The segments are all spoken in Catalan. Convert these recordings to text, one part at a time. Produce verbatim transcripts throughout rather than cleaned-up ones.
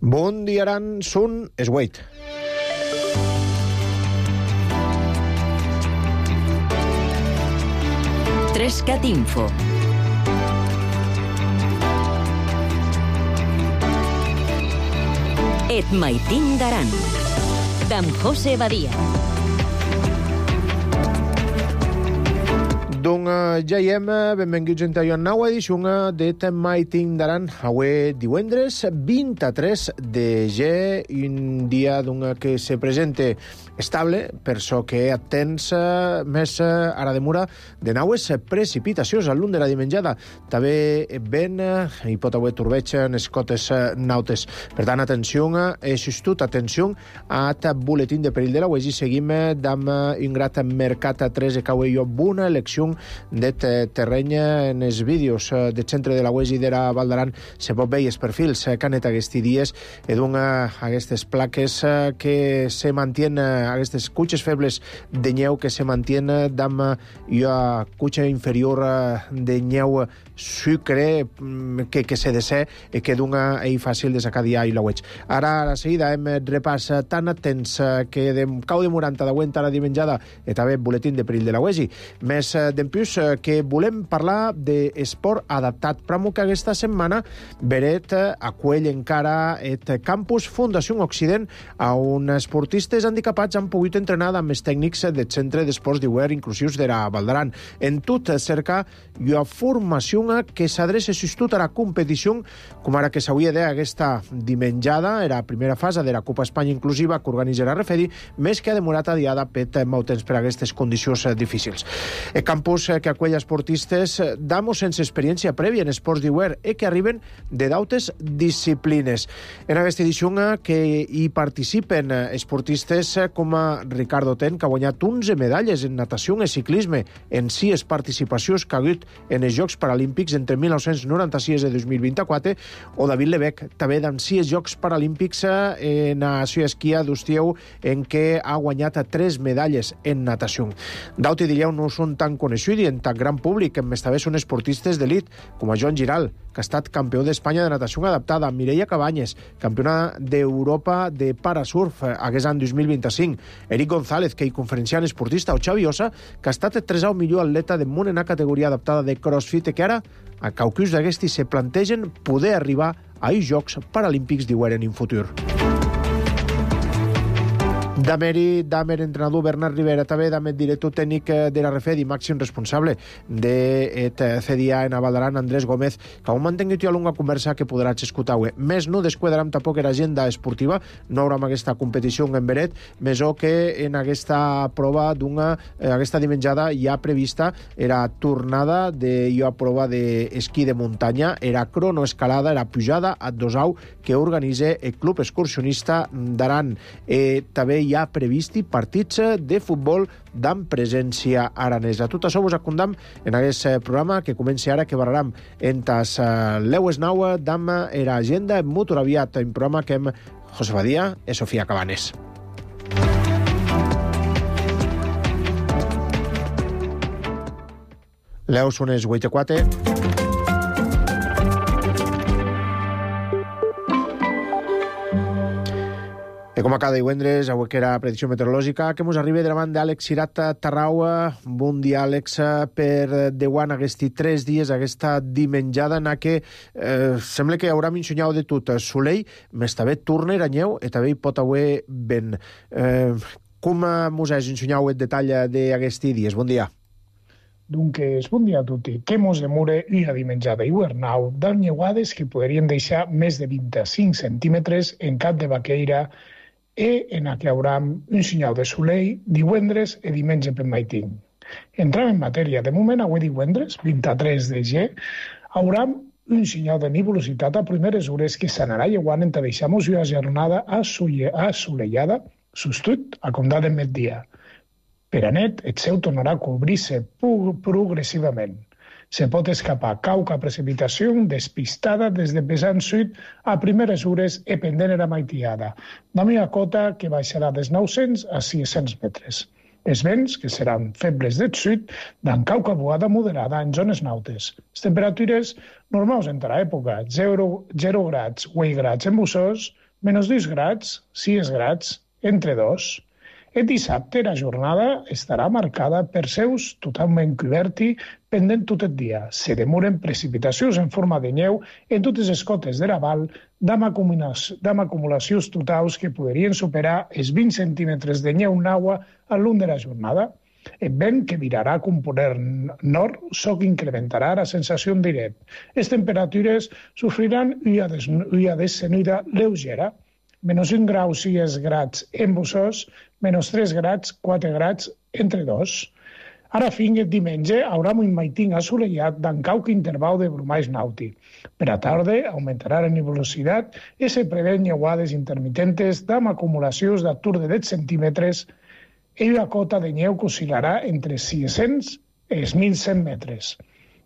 Bon dia, Aran, Sun, Esweit. Trescat Info. Et maitin d'Aran. D'en José Badia. Doncs uh, ja hi hem, benvinguts a una nova edició d'Et maitin d'Aran. Avui divendres vint-i-tres de gener, un dia que se presenta estable, per això que atens uh, més uh, ara demora de naues precipitacions al lluny de la dimenjada. També ben uh, hi pot haver torbeig en les cotes uh, nautes. Per tant, atenció, uh, assistut, atenció a aquest boletín de perill de la U E S I. Seguim uh, amb uh, un grat mercat a tres de cau i una elecció de terreny en els vídeos del centre de la U E S I de la Val d'Aran. Se pot veure els perfils que han estat aquests dies i donen aquestes plaques que se mantenen, aquestes cutxes febles de neu que se mantenen amb la cutxa inferior de neu sucre que, que se desè i que dona i fàcil de sacar dia i la veig. Ara, a la seguida, hem repàs tan atents que de cau de moranta d'aguenta la dimenjada i també boletín de perill de la U E S I. Més d'empús que volem parlar d'esport adaptat. Pramo que aquesta setmana veret acuell encara et campus Fundació Occident on esportistes handicapats han pogut entrenar amb els tècnics del Centre d'Esports d'Hivern Inclusius de la Val d'Aran. En tot cerca una formació que s'adreça tot a la competició, com ara que s'hauria d'aquesta dimenjada, era la primera fase de la Copa Espanya Inclusiva que organitza la Refedi, més que ha demorat a diada pet molt temps per a aquestes condicions difícils. El campus que acull esportistes d'amo sense experiència prèvia en esports d'hivern i que arriben de d'altres disciplines. En aquesta edició que hi participen esportistes com a Ricardo Ten, que ha guanyat onze medalles en natació i ciclisme en sis participacions que ha hagut en els Jocs Paralímpics entre mil nou-cents noranta-sis i dos mil vint-i-quatre, o David Lebec, també amb sis Jocs Paralímpics en natació i esquí d'Ustieu, en què ha guanyat tres medalles en natació. D'altre dia no són tan coneguts en tan gran públic, més també són esportistes d'elit, com a Joan Giral, que ha estat campió d'Espanya de natació adaptada, Mireia Cabanyes, campiona d'Europa de parasurf aquest any dos mil vint-i-cinc, Eric González, que hi conferenciant esportista, o Xavi Ossa, que ha estat el tresau millor atleta del món en la categoria adaptada de crossfit, que ara, a caucus d'aquestes, se plantegen poder arribar a els Jocs Paralímpics d'hivern en un futur. Dameri, Damer, entrenador Bernat Rivera, també Damer, director tècnic de la Refedi, màxim responsable de C D A en Val d'Aran, Andrés Gómez, que aún mantengut una longa conversa que podràs escoltar. Més no desquadrarem tampoc l'agenda esportiva, no haurà aquesta competició en Beret, més o que en aquesta prova d'una, aquesta dimenjada ja prevista era tornada de la prova d'esquí de muntanya, era cronoescalada, era pujada a Dosau, que organitza el Club Excursionista d'Aran. Eh, també hi ha previst partits de futbol d'amp presència aranesa. Tot això vos acondam en aquest programa que comença ara, que barrarem entes leues nau d'amp era agenda molt aviat, un programa que hem José Badia i Sofia Cabanes. Leu són els vuit i quatre. I com a cada divendres, avui que era predicció meteorològica, que ens arriba davant d'Àlex Cirat Tarrau. Bon dia, Àlex, per deuant aquests tres dies, aquesta dimenjada en què eh, sembla que haurà mencionat de tot. Soleil, més també torna a neu i també hi pot haver vent. Eh, com ens has ensenyat el detall d'aquests dies? Bon dia. Doncs bon dia a tutti. Que mos demora una dimenjada hivernal d'alnyeuades que podrien deixar més de vint-i-cinc centímetres en Cap de Baqueira i en què haurà un senyal de soleil divendres i diumenge per maitin. Entrem en matèria. De moment, avui divendres, vint-i-tres de gener, haurà un senyal de nivellositat a primeres hores que s'anarà lleuant en deixar-nos una jornada assolellada, sostut a comptar de migdia. Per a net, el cel tornarà a cobrir-se progressivament. Se pot escapar cauca precipitació despistada des de pesant sud a primeres hores i pendent era maitiada. La meva cota que baixarà dels nou-cents a sis-cents metres. Els vents, que seran febles del sud, d'en cauca boada moderada en zones nautes. Les temperatures normals entre l'època, zero grads o un grads en Bussós, menys dos grads, sis grads, entre dos. El dissabte la jornada estarà marcada per seus totalment coberti pendent tot el dia. Se demoren precipitacions en forma de neu en totes les cotes de la val, amb acumulacions totals que podrien superar els vint centímetres de neu d'aigua a l'un de la jornada. El vent que virarà a component nord so que incrementarà la sensació directa. Les temperatures sofriran una descenida lleugera, menys un grau, sis grads en Bussos, menys tres grads, quatre grads, entre dos. Ara fins el diumenge haurà un maitín assolellat d'en cauc interval de brumais nàutic. Per a tarda augmentarà la nebulositat i se prevén neuades intermitentes amb acumulacions d'atur de deu centímetres i una cota de neu que oscil·larà entre sis-cents i mil cent metres.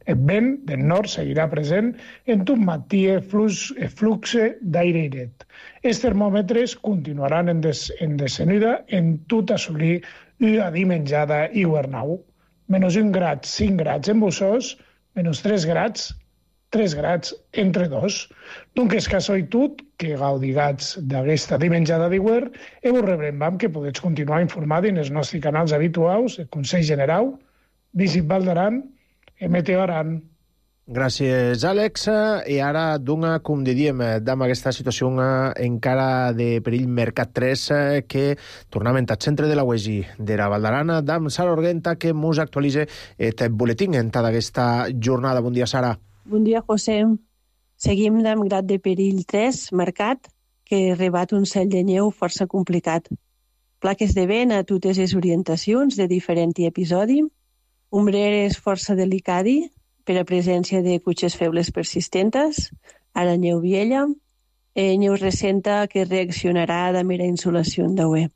El vent del nord seguirà present en tot matí flux, flux d'aire airet. Els termòmetres continuaran en, des, en descenida en tot assolir una dimenjada hivernau. Menys un grad, cinc grads en Bussos, menys tres grads, tres grads entre dos. Donc és casualitat que gaudigats d'aquesta dimenjada d'hivern i vos rebrem que podeu continuar informats en els nostres canals habituals, el Consell General, Visit Val d'Aran, Meteo Aran. Gràcies, Àlex. I ara, d'una, com diríem, amb aquesta situació encara de perill Mercat tres, que tornem al centre de la U E S I de la Val d'Aran, d'amb Sara Orguenta, que ens actualitza el boletín en tota aquesta jornada. Bon dia, Sara. Bon dia, José. Seguim amb grad de perill tres, Mercat, que rebat un cel de neu força complicat. Plaques de vent a totes les orientacions de diferent episodi, ombreres força delicadi, per a presència de cutxes febles persistentes, ara neu viella, eh, neu recenta que reaccionarà de mera insolació d'auè.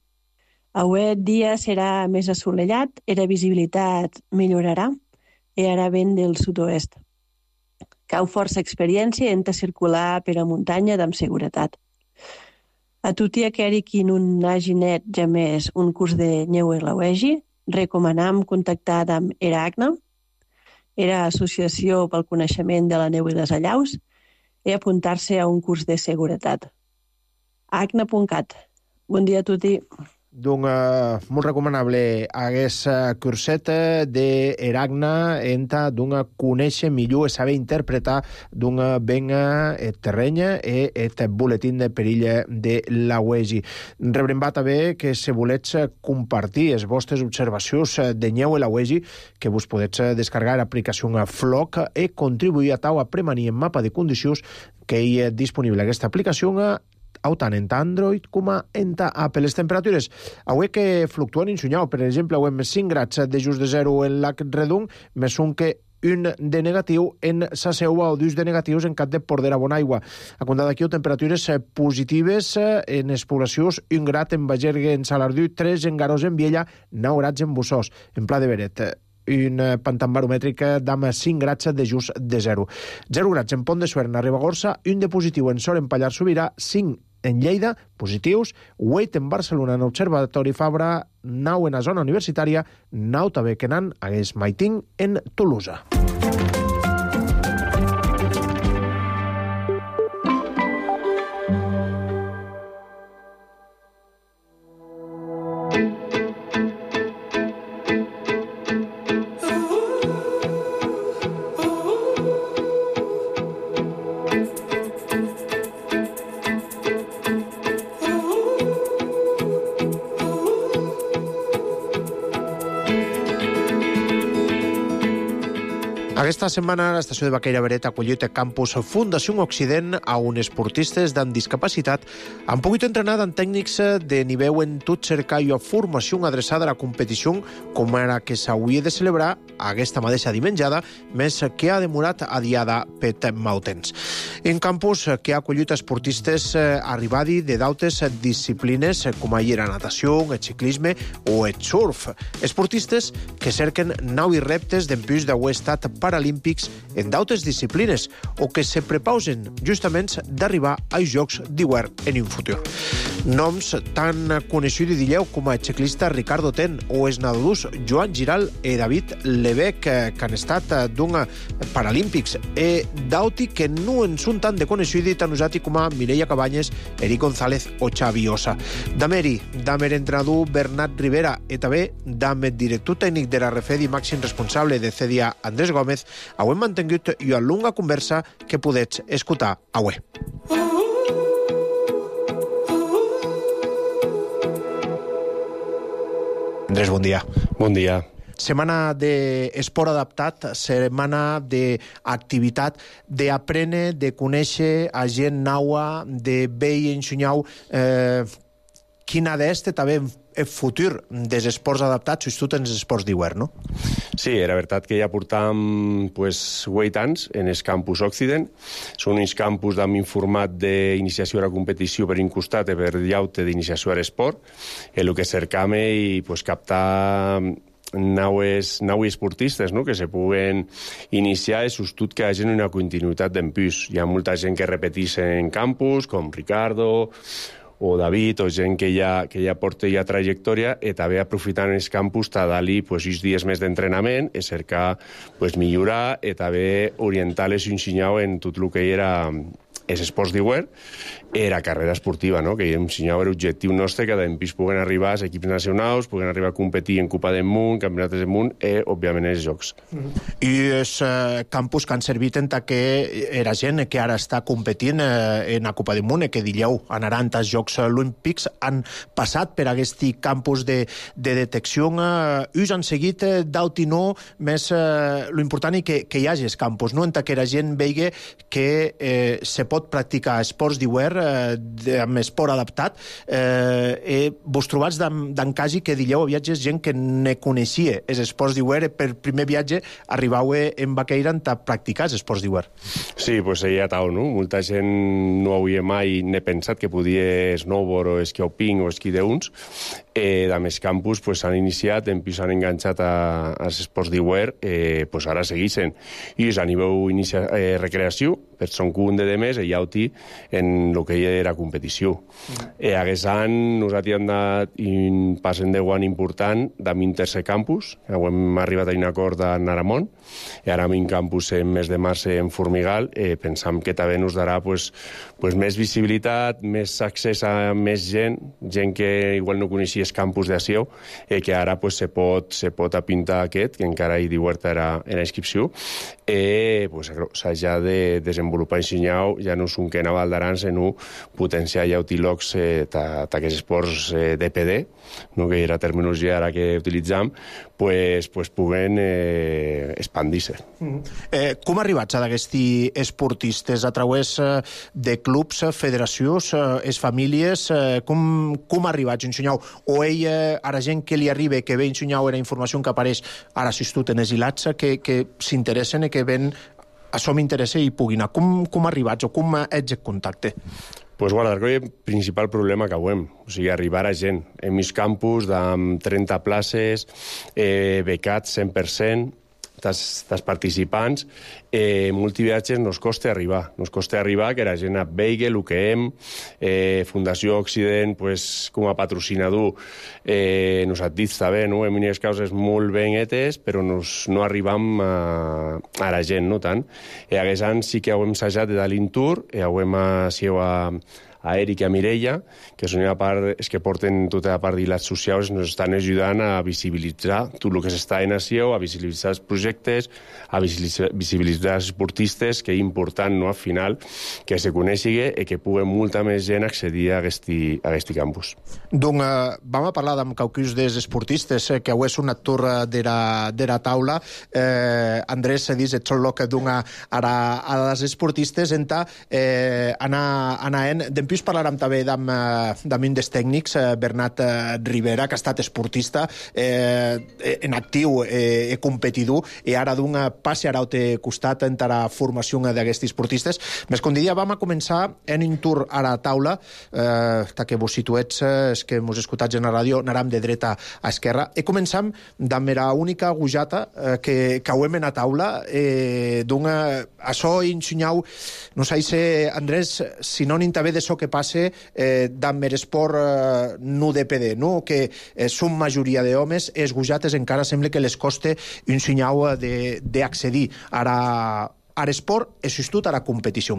Auè el dia serà més assolellat, i la visibilitat millorarà, i ara vent del sud-oest. Cau força experiència en circular per a muntanya amb seguretat. A tutti aqueri qui no hagi net ja més un curs de neu a la U E S I, recomanam contactar amb ERACNA, era Associació pel Coneixement de la Neu i les Allaus, i apuntar-se a un curs de seguretat. acna punt cat. Bon dia a tutti. Doncs uh, molt recomanable aquest uh, curset d'ERACNA enta d'una conèixer millor i saber interpretar d'una ben uh, terreny i aquest boletín de perill de la U E S I. Rebrem també que si volets compartir les vostres observacions de neu a la U E S I, que vos podets descarregar l'aplicació Floc i contribuir a tau a premanir en mapa de condicions que hi és disponible aquesta aplicació tant en Android com en Apple. Les temperatures avui que fluctuen insunyau. Per exemple, avui més cinc grads de just de zero en Lac Redung, més un que un de negatiu en sa seua o dos de negatius en Cap de Pordera Bonaigua. A comptar d'aquí, temperatures positives en les poblacions, un grad en Bagergue, en Salardú, tres en Garós, en Viella, nou grads en Bussos, en Pla de Beret. Un pantan baromètric d'ama cinc grads de just de zero. zero grads en Pont de Suert, en Ribagorça, un de positiu en Sor, en Pallars Sobirà, cinc en Lleida, positius, vuit en Barcelona, en Observatori Fabra, nou en la zona universitària, nou també que nan hagués maitín en Tolosa. Aquesta setmana l'estació de Baqueira Beret ha acollit el campus Fundació Occident a uns esportistes amb discapacitat han pogut entrenar amb tècnics de nivell en tot cercar i formació adreçada a la competició com era que s'hauria de celebrar aquesta mateixa dimenjada, més que ha demorat adiada per mau temps. En campus que ha acollit esportistes arribadi de d'altres disciplines com ahir la natació, el ciclisme o el surf. Esportistes que cerquen nous reptes d'empús d'haver estat paralímpics en d'altres disciplines o que se prepausen justament d'arribar als Jocs d'hivern en un futur. Noms tan coneguts, dilleu, com el ciclista Ricardo Ten o els nadadors Joan Giral i David Lebec, que han estat d'un Paralímpics, e d'auti que no en són tan de coneguts tan usati com a Mireia Cabanyes, Eric González o Xavi Ossa. Dameri, damer entrenador Bernat Rivera, i també damer director tècnic de la Refedi, màxim responsable de C D A Andrés Gómez, heu mantingut una longa conversa que podets escoltar avui. Andrés, bon dia. Bon dia. Setmana d'esport adaptat, setmana d'activitat, d'aprendre, de conèixer a gent naua, de veure i ensenyar eh, quina d'este també el futur dels esports adaptats, sobretot en els esports d'hivern, no? Sí, era veritat que ja portam pues, vuit anys en el campus Occident. Són uns campus amb un format d'iniciació a la competició per un costat i per llaute d'iniciació a l'esport. El que cercam és pues, captar naues, naues esportistes, no? Que se puguen iniciar i sobretot que hi hagi una continuïtat d'empús. Hi ha molta gent que repeteix en campus, com Ricardo o David, o gent que ja, que ja porta ja trajectòria, i també aprofitant els campus a dar-li pues, uns dies més d'entrenament, i cercar pues, millorar, i també orientar-les i ensenyar en tot el que era els esports d'hivern, era carrera esportiva, no? Que ensenyava l'objectiu nostre que després puguen arribar als equips nacionals, puguen arribar a competir en Copa del Món, Campionats del Món i, òbviament, els Jocs. Mm. I els eh, campus que han servit en que era gent que ara està competint eh, en la Copa del Món i que dilleu anaran als Jocs Olímpics han passat per aquest campus de, de detecció. Eh, us han seguit eh, d'aut i no, més eh, l'important és que, que hi hagi els campus, no? En que la gent vegi que eh, se pot practicar esports d'hivern eh, amb esport adaptat. Eh, eh, vos trobats d'en quasi que dilleu a viatges gent que ne coneixia els esports d'hivern, per primer viatge arribau en Baqueira a practicar els esports d'hivern. Sí, pues hi ha tal, no? Molta gent no havia mai ne pensat que podia snowboard o esquí alpin o esquí d'uns. Eh, a més campus pues, s'han iniciat, en s'han enganxat a, als esports d'hivern, eh, pues ara segueixen. I a nivell inicia, eh, recreació, per son un de més, i jauti en el que era competició. Mm. Eh, aquest any nosaltres hem dat un pas en deu anys important d'am un tercer campus, hem arribat a un acord a Naramont, i ara amb un campus en mes de març en Formigal, eh, pensam que també ens darà pues, pues, més visibilitat, més accés a més gent, gent que igual no coneixia el campus d'Ació, eh, que ara pues, se pot, se pot apintar aquest, que encara hi diuerta era en la inscripció, i pues, s'ha ja de desenvolupar ensenyar, ja no són que anava al d'Aran, sinó potenciar ja utilocs eh, d'aquests esports eh, D P D, no? Que era la terminologia ara que utilitzam, pues, pues puguen eh, expandir-se. Mm. Eh, com arribats a d'aquests esportistes? A través eh, de clubs, federacions, eh, es famílies, eh, com, com arribats a ensenyar? O ell, eh, ara gent que li arriba, que ve a ensenyar era informació que apareix ara assistut en els hilats, que, que s'interessen i que ven això m'interessa i pugui anar. Com, com arribats o com ets en contacte? Pues guarda, el principal problema que avem, o sigui, arribar a gent. En mis campus, amb trenta places, eh, becats cent per cent, dels participants, eh, multiviatges nos costa arribar. Nos costa arribar que la gent veigui el que hem, eh, Fundació Occident, pues, com a patrocinador, eh, nos ha dit també, no? En unes causes molt ben etes, però nos, no arribam a, a la gent, no tant. I aquest any sí que hem assajat de dar l'intour, i hem sigut a a Eric i a Mireia, que són una part, és que porten tota la part d'hilats socials, ens estan ajudant a visibilitzar tot el que s'està en Asió, a visibilitzar els projectes, a visibilitzar, visibilitzar els esportistes, que és important, no?, al final, que se coneixi i que pugui molta més gent accedir a aquest campus. Donc, eh, vam a parlar amb qualcus dels esportistes, eh, que avui és un actor de la, de la taula. Eh, Andrés se dice tot lo que dona ara a les esportistes, enta eh, anar, anar en... Després parlarem també d'am un dels tècnics, Bernat Rivera, que ha estat esportista eh, en actiu i eh, competidor, i ara d'un passe ara al costat en la formació d'aquests esportistes. Més com diria, vam a començar en un tour a la taula, eh, que vos situets, és que mos escoltats en la ràdio, anàrem de dreta a esquerra, i començam d'am la única gujata eh, que cauem en la taula, eh, d'un això ensenyau, no sé si Andrés, sinònim també de so que passa eh, d'amb er esport eh, no de P D, no? Que eh, són majoria d'homes, els gujates encara sembla que les costa un senyal d'accedir ara a l'esport e sobretot a la competició.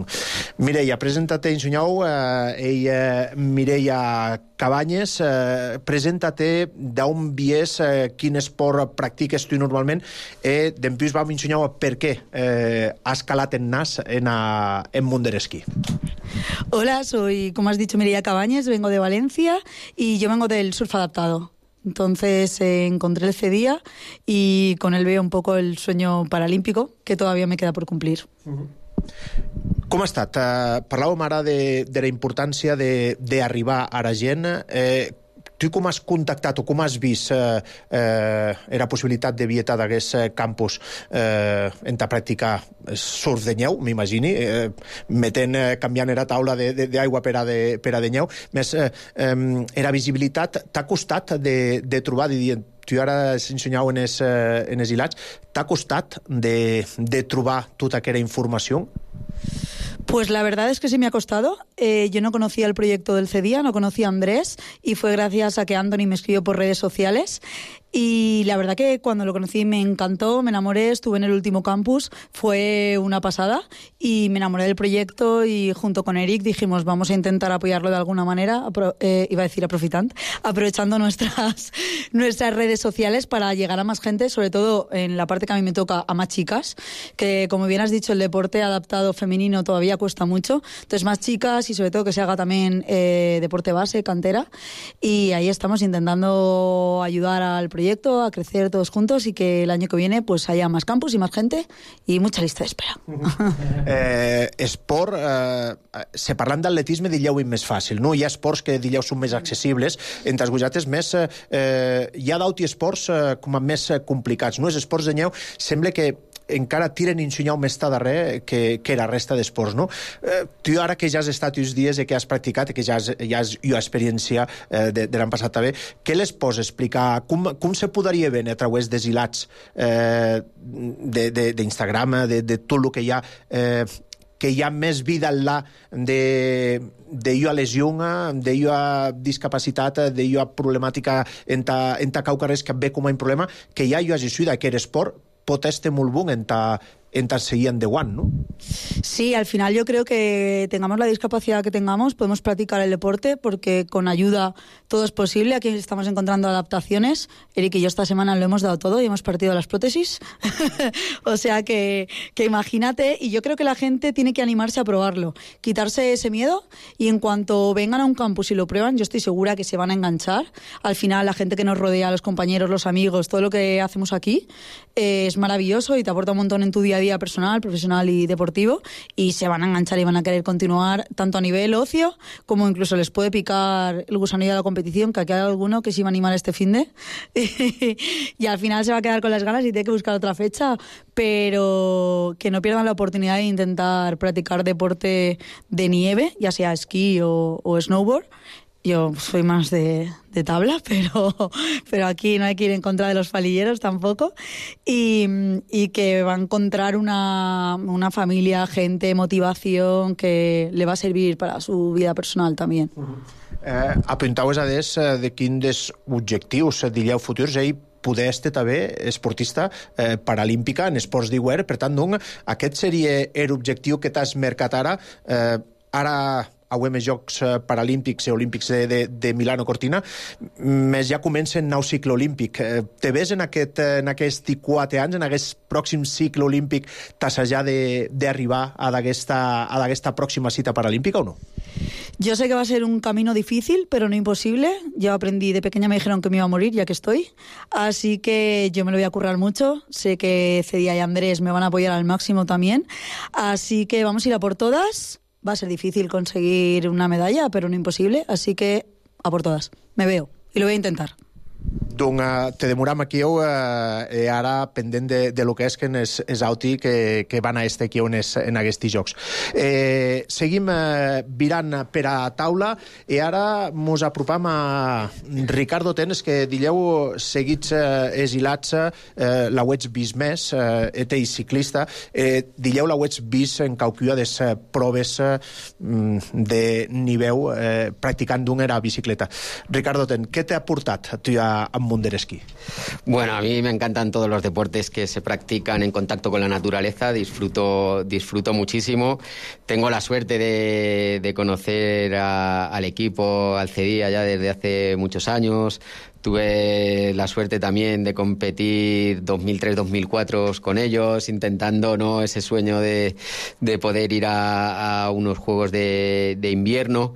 Mireia, presenta-te en senyal, eh, ella Mireia Cabanyes, eh, presenta-te d'on vies, eh, quin esport practiques tu normalment i després vam ensenyar per què eh, has calat en nas en, a, en món de l'esquí. Hola, soy, como has dicho, Mireia Cabanyes, vengo de Valencia y yo vengo del surf adaptado. Entonces eh, encontré el CEDIA y con él veo un poco el sueño paralímpico que todavía me queda por cumplir. Uh-huh. Com ha estat? Uh, parlàvem ara de, de la importància d'arribar a la gent. Eh, tu com has contactat o com has vist eh, eh, la possibilitat de vietar d'aquest campus eh, en ta practicar surf de neu, m'imagini, eh, metent, eh, canviant la taula d'aigua per a de, per a de neu. Més, eh, eh, la visibilitat t'ha costat de, de trobar, de dir, tu ara has ensenyat en els eh, en els hilats, t'ha costat de, de trobar tota aquella informació? Pues la verdad es que sí me ha costado. Eh, yo no conocía el proyecto del CEDIA, no conocía a Andrés y fue gracias a que Anthony me escribió por redes sociales. Y la verdad que cuando lo conocí me encantó, me enamoré, estuve en el último campus, fue una pasada y me enamoré del proyecto y junto con Eric dijimos vamos a intentar apoyarlo de alguna manera, apro- eh, iba a decir aprofitant, aprovechando nuestras, nuestras redes sociales para llegar a más gente, sobre todo en la parte que a mí me toca, a más chicas, que como bien has dicho el deporte adaptado femenino todavía cuesta mucho, entonces más chicas y sobre todo que se haga también eh, deporte base, cantera, y ahí estamos intentando ayudar al proyecto a crecer todos juntos y que el año que viene pues haya más campus y más gente y mucha lista d'espera. eh, esport, eh, se parlant d'atletisme diríeu més fàcil, no? Hi ha esports que diríeu són més accessibles, entre els gujates més eh, hi ha d'autres esports eh, com a més complicats, no? Els esports de neu sembla que encara tiren un senyal més darrere que, que la resta d'esports, no? Eh, tu ara que ja has estat uns dies i que has practicat, que ja has, ja has jo experiència eh, de, de l'any passat també, què les pots explicar? Com, com se podria veure a través dels hilats eh, d'Instagram, de, de, de tot el que hi ha, eh, que hi ha més vida enllà de, de jo a lesió, de jo a discapacitat, de jo a problemàtica en ta, en ta caucarres que ve com a un problema, que ja jo hagi sigut aquest esport pot estar molt bon en ta, en ta seguir endavant, ¿no? Sí, al final yo creo que tengamos la discapacidad que tengamos, podemos practicar el deporte porque con ayuda todo es posible. Aquí estamos encontrando adaptaciones. Eric y yo esta semana lo hemos dado todo y hemos partido las prótesis. O sea que, que imagínate, y yo creo que la gente tiene que animarse a probarlo, quitarse ese miedo y en cuanto vengan a un campus y lo prueban, yo estoy segura que se van a enganchar. Al final la gente que nos rodea, los compañeros, los amigos, todo lo que hacemos aquí eh, es maravilloso y te aporta un montón en tu día a día personal, profesional y deportivo y se van a enganchar y van a querer continuar tanto a nivel ocio como incluso les puede picar el gusanillo de la competición, que aquí hay alguno que se iba a animar este finde y al final se va a quedar con las ganas y tiene que buscar otra fecha, pero que no pierdan la oportunidad de intentar practicar deporte de nieve, ya sea esquí o, o snowboard. Yo soy más de, de tabla, pero, pero aquí no hay que ir en contra de los palilleros tampoco. Y, y que va a encontrar una, una familia, gente, motivación que le va a servir para su vida personal también. Uh-huh. Eh, apuntaues a des de quins dels objectius diríeu futurs ell poder estar també esportista eh, paralímpica en esports d'hivern. Per tant, doncs, aquest seria l'objectiu que t'has marcat ara. Eh, ara auem els Jocs Paralímpics i Olímpics de, de, de Milano Cortina, més ja comença el nou cicle olímpic. Eh, te ves en aquest, en aquests quatre anys, en aquest pròxim cicle olímpic, t'assajar d'arribar a aquesta pròxima cita paralímpica o no? Yo sé que va a ser un camino difícil, pero no imposible. Yo aprendí, de pequeña me dijeron que me iba a morir, ya que estoy. Así que yo me lo voy a currar mucho. Sé que Cedia y Andrés me van a apoyar al máximo también. Así que vamos a ir a por todas. Va a ser difícil conseguir una medalla, pero no imposible. Así que a por todas. Me veo y lo voy a intentar. Donc, te demoram aquí uh, e ara pendent de, de lo que és que és, és auti que, que van a este aquí on és en aquests jocs. Eh, seguim uh, virant per a taula i ara mos apropam a Ricardo Tenes, que dileu seguits uh, esilats uh, la huets vist més, uh, et ell ciclista, eh, dileu la huets vist en caucua des uh, proves uh, de nivell uh, practicant d'un era bicicleta. Ricardo Ten, què t'ha portat a tu a, a mundo del esquí? Bueno, a mí me encantan todos los deportes que se practican en contacto con la naturaleza, disfruto, disfruto muchísimo. Tengo la suerte de, de conocer a, al equipo, al CEDIA ya desde hace muchos años. Tuve la suerte también de competir dos mil tres dos mil cuatro con ellos, intentando, ¿no?, ese sueño de, de poder ir a, a unos juegos de, de invierno.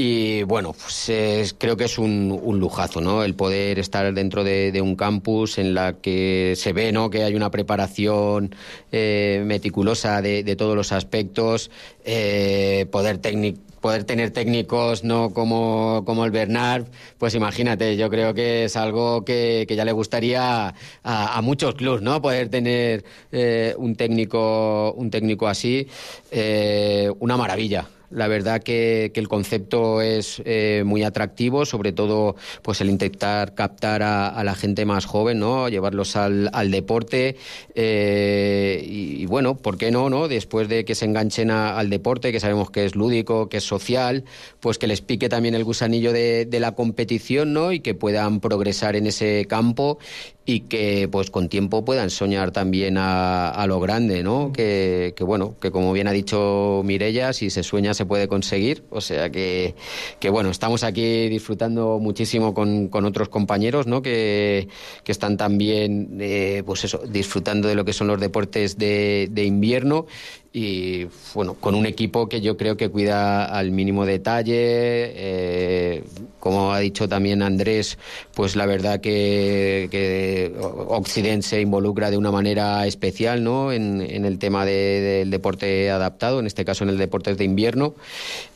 Y bueno, pues es, creo que es un, un lujazo, ¿no?, el poder estar dentro de, de un campus en la que se ve, ¿no?, que hay una preparación eh, meticulosa de, de todos los aspectos, eh, poder técnico. Poder tener técnicos, no como, como el Bernard, pues imagínate, yo creo que es algo que, que ya le gustaría a, a muchos clubs, ¿no?, poder tener eh, un técnico un técnico así, eh, una maravilla. La verdad que, que el concepto es eh, muy atractivo, sobre todo pues el intentar captar a, a la gente más joven, ¿no?, llevarlos al, al deporte eh, y, y bueno, ¿por qué no, no? Después de que se enganchen a, al deporte, que sabemos que es lúdico, que es social, pues que les pique también el gusanillo de, de la competición, ¿no?, y que puedan progresar en ese campo y que pues con tiempo puedan soñar también a, a lo grande, ¿no? Que, que bueno, que como bien ha dicho Mireia, si se sueña se puede conseguir, o sea que, que bueno, estamos aquí disfrutando muchísimo con, con otros compañeros, ¿no?, que, que están también eh, pues eso, disfrutando de lo que son los deportes de, de invierno. Y bueno, con un equipo que yo creo que cuida al mínimo detalle, eh, como ha dicho también Andrés, pues la verdad que, que Occident se involucra de una manera especial, ¿no?, en, en el tema de, del deporte adaptado, en este caso en el deporte de invierno,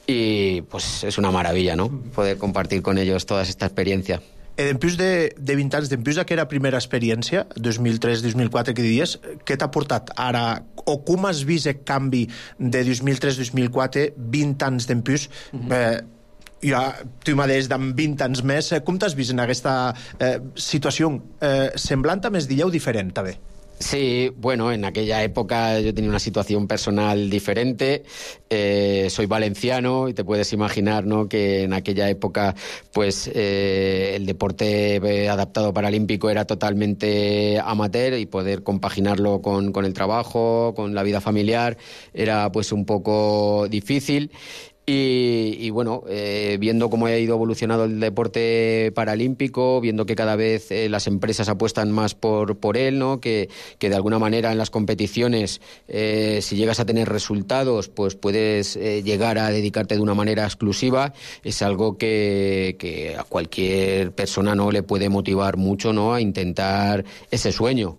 y pues es una maravilla, ¿no?, poder compartir con ellos toda esta experiencia. E d'empús de, de vint anys, d'empús d'aquella primera experiència, dos mil tres dos mil quatre, que diries, què t'ha portat ara, o com has vist el canvi de dos mil tres dos mil quatre, vint anys d'empús, mm-hmm. eh, ja, tu mateix d'en vint anys més, com t'has vist en aquesta eh, situació eh, semblant a més dieu diferent, també? Sí, bueno, en aquella época yo tenía una situación personal diferente, eh, soy valenciano y te puedes imaginar, ¿no?, que en aquella época pues eh, el deporte adaptado paralímpico era totalmente amateur y poder compaginarlo con, con el trabajo, con la vida familiar, era pues un poco difícil. Y, y bueno, eh, viendo cómo ha ido evolucionando el deporte paralímpico, viendo que cada vez eh, las empresas apuestan más por, por él, ¿no?, que, que de alguna manera en las competiciones, eh, si llegas a tener resultados, pues puedes eh, llegar a dedicarte de una manera exclusiva, es algo que, que a cualquier persona, ¿no?, le puede motivar mucho, ¿no?, a intentar ese sueño.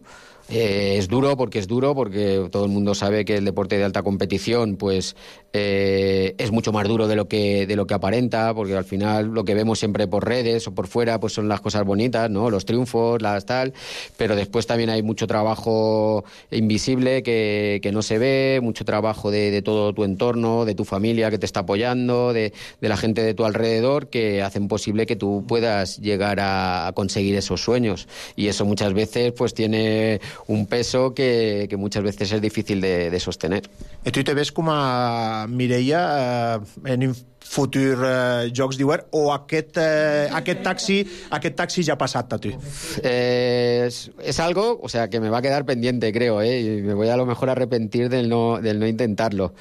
Eh, es duro porque es duro, porque todo el mundo sabe que el deporte de alta competición pues eh, es mucho más duro de lo que de lo que aparenta, porque al final lo que vemos siempre por redes o por fuera pues son las cosas bonitas, ¿no?, los triunfos, las tal, pero después también hay mucho trabajo invisible que, que no se ve, mucho trabajo de, de todo tu entorno, de tu familia que te está apoyando, de, de la gente de tu alrededor, que hacen posible que tú puedas llegar a, a conseguir esos sueños, y eso muchas veces pues tiene un peso que, que muchas veces es difícil de, de sostener. I tu te ves com a Mireia eh, en futur eh, Jocs d'Hivern, o aquest, eh, aquest, taxi, aquest taxi ja ha passat a tu? Eh, es, es algo, o sea, que me va a quedar pendiente, creo, ¿eh? Y me voy a lo mejor arrepentir del no, del no intentarlo.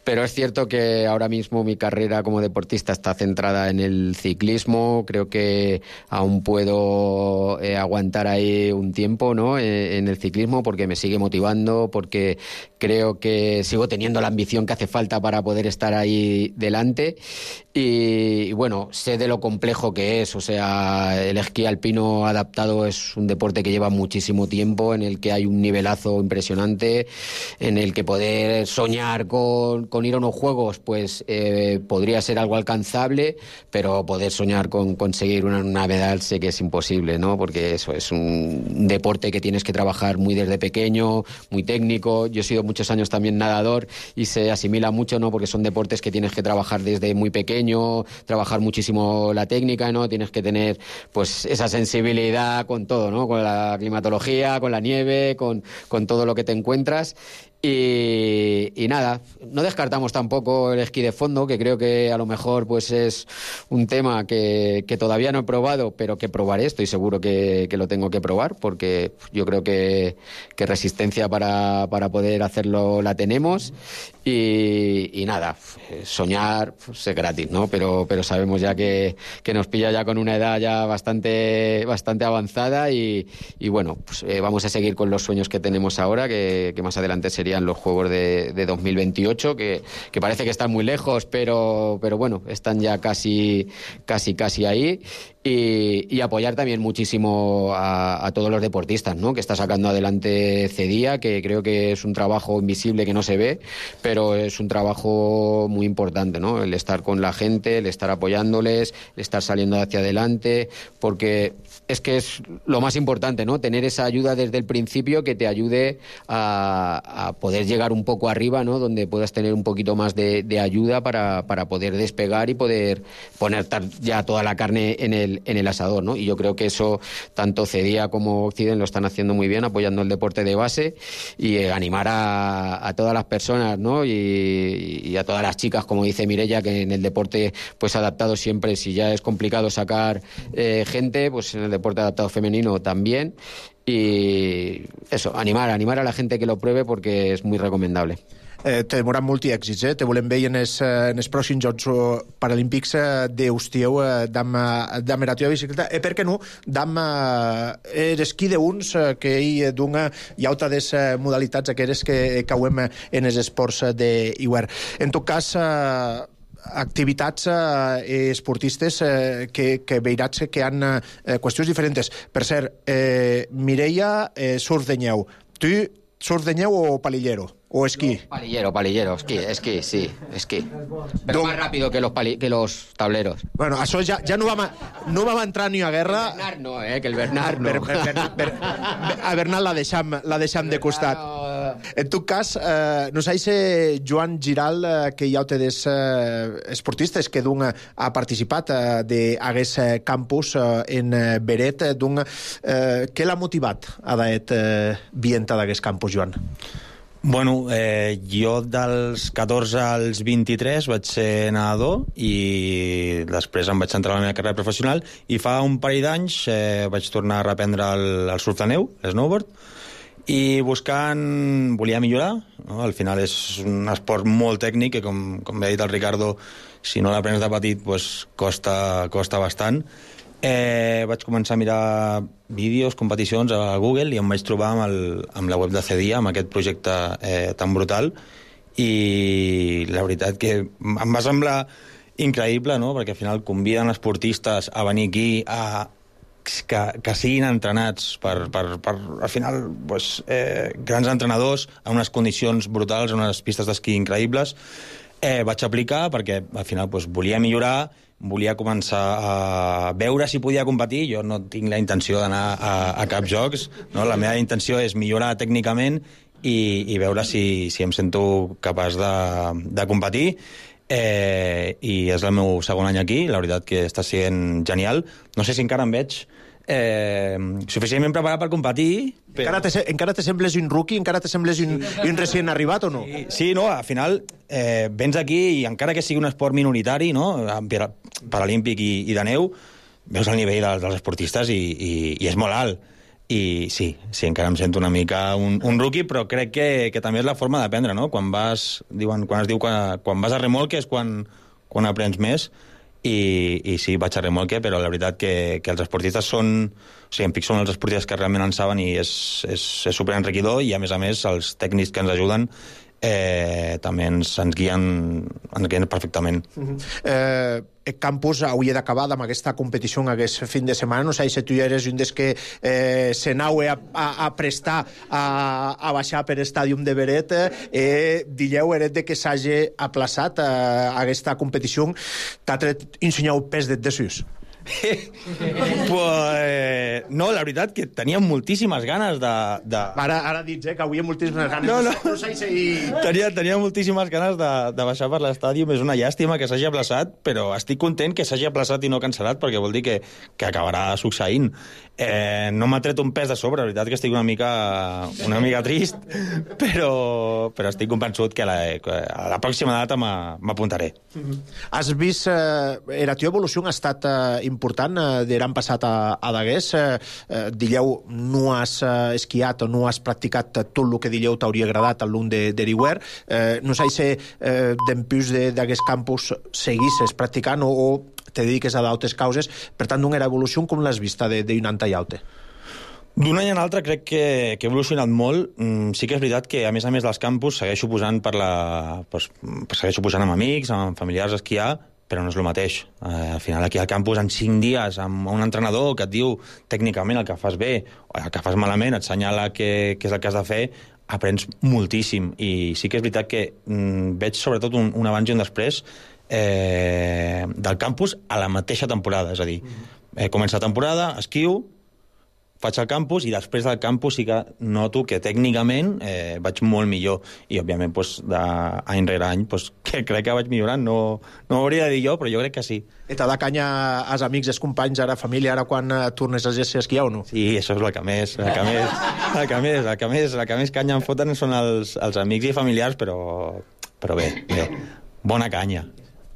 Pero es cierto que ahora mismo mi carrera como deportista está centrada en el ciclismo. Creo que aún puedo eh, aguantar ahí un tiempo, ¿no?, eh, en el ciclismo, porque me sigue motivando, porque creo que sigo teniendo la ambición que hace falta para poder estar ahí delante. Y, bueno, sé de lo complejo que es. O sea, el esquí alpino adaptado es un deporte que lleva muchísimo tiempo, en el que hay un nivelazo impresionante, en el que poder soñar con, con ir a unos juegos, pues eh, podría ser algo alcanzable, pero poder soñar con conseguir una, una medalla sé que es imposible, ¿no? Porque eso es un deporte que tienes que trabajar muy desde pequeño, muy técnico. Yo he sido muchos años también nadador y se asimila mucho, ¿no? Porque son deportes que tienes que trabajar desde muy pequeño, trabajar muchísimo la técnica, ¿no? Tienes que tener pues esa sensibilidad con todo, ¿no? Con la climatología, con la nieve, con, con todo lo que te encuentras. Y, y nada, no descartamos tampoco el esquí de fondo, que creo que a lo mejor pues es un tema que, que todavía no he probado, pero que probaré, estoy seguro que, que lo tengo que probar, porque yo creo que, que resistencia para, para poder hacerlo la tenemos. Y, y nada, soñar pues, es gratis, ¿no? Pero, pero sabemos ya que, que nos pilla ya con una edad ya bastante, bastante avanzada y, y bueno, pues eh, vamos a seguir con los sueños que tenemos ahora, que, que más adelante serían los Juegos de, de dos mil veintiocho, que, que parece que están muy lejos, pero, pero bueno, están ya casi, casi, casi ahí. Y, y apoyar también muchísimo a, a todos los deportistas, ¿no? Que está sacando adelante CEDIA, que creo que es un trabajo invisible que no se ve, pero es un trabajo muy importante, ¿no? El estar con la gente, el estar apoyándoles, el estar saliendo hacia adelante, porque es que es lo más importante, ¿no? Tener esa ayuda desde el principio que te ayude a, a poder llegar un poco arriba, ¿no? Donde puedas tener un poquito más de, de ayuda para, para poder despegar y poder poner ya toda la carne en el en el asador, ¿no? Y yo creo que eso tanto CEDIA como Occident lo están haciendo muy bien, apoyando el deporte de base y eh, animar a, a todas las personas, ¿no? Y, y a todas las chicas, como dice Mireia, que en el deporte pues adaptado siempre, si ya es complicado sacar eh, gente, pues en el deporte adaptado femenino también. Y eso, animar, animar a la gente que lo pruebe porque es muy recomendable. Eh, te demorat molt i èxits, eh? Te volem veure en els, en els pròxims Jocs Paralímpics d'Eustieu, d'am eratio de bicicleta, e per què no, d'am esquí d'uns, que hi dona hi ha altres modalitats aquelles que cauem en els esports d'hivern. En tot cas, activitats eh, esportistes eh, que, que veuràs que han eh, qüestions diferents. Per cert, eh, Mireia, eh, surf de neu. Tu, surf de neu o palillero? ¿O esquí? No, palillero, palillero, esquí, esquí, sí, esquí. Pero Don... más rápido que los, pali... que los tableros. Bueno, això ja, ja no, vam a, no vam entrar ni a guerra... El Bernat no, eh, que el Bernat no. Per, per, per, per, a Bernat la deixam, la deixam de costat. No... En tot cas, eh, no sé si Joan Giral, eh, que hi ha altres eh, esportistes que d'un ha participat eh, d'aguest eh, campus eh, en eh, Beret, eh, d'un, eh, què l'ha motivat a d'aet eh, vienta d'aguest campus, Joan? Bueno, eh, jo dels catorze als vint-i-tres vaig ser nedador i després em vaig centrar en la meva carrera professional i fa un parell d'anys eh, vaig tornar a reprendre el, el surf de neu, l'snowboard, i buscant... volia millorar, no? Al final és un esport molt tècnic que, com, com bé ha dit el Ricardo, si no l'aprens de petit pues, costa, costa bastant. Eh, vaig començar a mirar vídeos, competicions a Google i em vaig trobar amb, el, amb la web de CEDIA, amb aquest projecte eh, tan brutal, i la veritat que em va semblar increïble, no? Perquè al final conviden esportistes a venir aquí a, que, que siguin entrenats per, per, per al final pues, eh, grans entrenadors en unes condicions brutals, en unes pistes d'esquí increïbles. Eh, vaig aplicar perquè al final pues, volia millorar, volia començar a veure si podia competir. Jo no tinc la intenció d'anar a, a cap jocs, no? La meva intenció és millorar tècnicament i, i veure si, si em sento capaç de, de competir. Eh, i és el meu segon any aquí, la veritat que està sent genial. No sé si encara em veig eh, suficientment preparat per competir. Però... Encara, te, encara te sembles un rookie? Encara te sembles un, un recient arribat o no? Sí, sí, no, al final eh, vens aquí i encara que sigui un esport minoritari, no, paralímpic i, i de neu, veus el nivell dels, dels esportistes i, i, i és molt alt. I sí, sí, encara em sento una mica un, un rookie, però crec que, que també és la forma d'aprendre, no? Quan vas, diuen, quan es diu quan, quan vas a remolque és quan, quan aprens més. I, i sí, vaig a remolque, però la veritat que, que els esportistes són... O sigui, en Pic són els esportistes que realment en saben i és, és, és superenriquidor i, a més a més, els tècnics que ens ajuden eh, també ens, ens, guien, ens guien perfectament. Uh-huh. eh, el campus hauria d'acabar amb aquesta competició en aquest fin de setmana. No sé si tu eres un dels que eh, se n'hau a, a, a prestar a, a baixar per estàdium de Beret. Eh, Dilleu, eret de que s'hagi aplaçat eh, aquesta competició. T'ha tret ensenyau pes de desús? Pues, no, la veritat que tenia moltíssimes ganes de... de... Ara, ara dic, eh, que avui moltíssimes ganes. No, no. no sé si... tenia, tenia moltíssimes ganes de, de baixar per l'estadi. És una llàstima que s'hagi aplaçat, però estic content que s'hagi aplaçat i no cancel·lat, perquè vol dir que, que acabarà succeint. Eh, no m'ha tret un pes de sobre, la veritat que estic una mica, una mica trist, però, però estic convençut que a la, a la pròxima data m'apuntaré. Mm-hmm. Has vist... Eh, la teva evolució ha estat eh, important eh, d'an passat a, a Dagués. Eh, eh, dilleu, no has eh, esquiat o no has practicat tot el que dilleu t'hauria agradat al lung de, de Riuer. Eh, no sé si eh, d'empius d'aquest campus seguisses practicant o, o te dediques a d'altres causes. Per tant, d'una evolució com l'has vista d'un any tallaute? D'un any en altre crec que, que he evolucionat molt. Mm, sí que és veritat que, a més a més dels campus, segueixo posant per la... Pues, segueixo posant amb amics, amb familiars a esquiar, però no és el mateix. Eh, al final, aquí al campus, en cinc dies, amb un entrenador que et diu tècnicament el que fas bé o el que fas malament, et senyala què és el que has de fer, aprens moltíssim. I sí que és veritat que mm, veig sobretot un, un abans i un després eh, del campus a la mateixa temporada. És a dir, eh, comença la temporada, esquio, faig al campus i després del campus sí que noto que tècnicament eh, vaig molt millor i òbviament pues, d'any rere any pues, que crec que vaig millorant, no, no ho hauria de dir jo, però jo crec que sí. I t'ha de canya als amics, als companys, ara família, ara quan eh, tornes a ser esquiar o no? Sí, això és el que més, el que més, el que més, el que més, el que més canya em foten són els, els amics i familiars, però, però bé, bé, bona canya.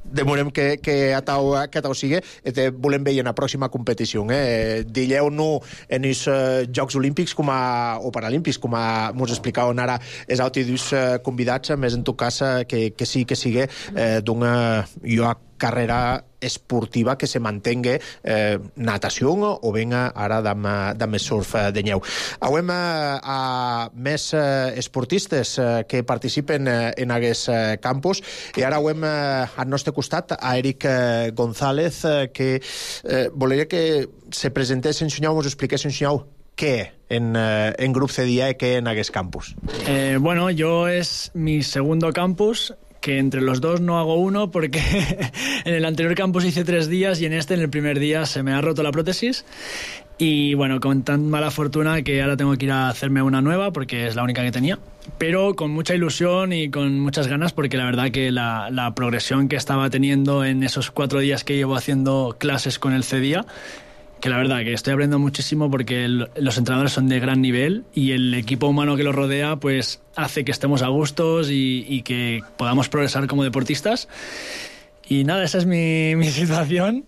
Demorem que, que a tau, que a tau sigui i te volem veure en la pròxima competició. Eh? Dilleu no en els uh, Jocs Olímpics com a, o Paralímpics, com a mos explicaven ara els altres uh, convidats, més en tot cas que, que sí que sigui eh, d'una jo, carrera esportiva que se mantenga eh, natació o venga ara d'am surf de neu. Hauem eh, a més eh, esportistes eh, que participen eh, en aquest eh, campus i ara hauem eh, al nostre costat a Eric eh, González eh, que eh, volia que se presentés en Xunyau, us expliqués en Xunyau què en, eh, en grup C D I A i què en aquest campus. Eh, bueno, yo es mi segundo campus, que entre los dos no hago uno porque en el anterior campus hice tres días y en este, en el primer día, se me ha roto la prótesis y bueno, con tan mala fortuna que ahora tengo que ir a hacerme una nueva porque es la única que tenía, pero con mucha ilusión y con muchas ganas porque la verdad que la, la progresión que estaba teniendo en esos cuatro días que llevo haciendo clases con el C D I A, que la verdad que estoy aprendiendo muchísimo porque el, los entrenadores son de gran nivel y el equipo humano que los rodea pues hace que estemos a gustos y, y que podamos progresar como deportistas. Y nada, esa es mi, mi situación,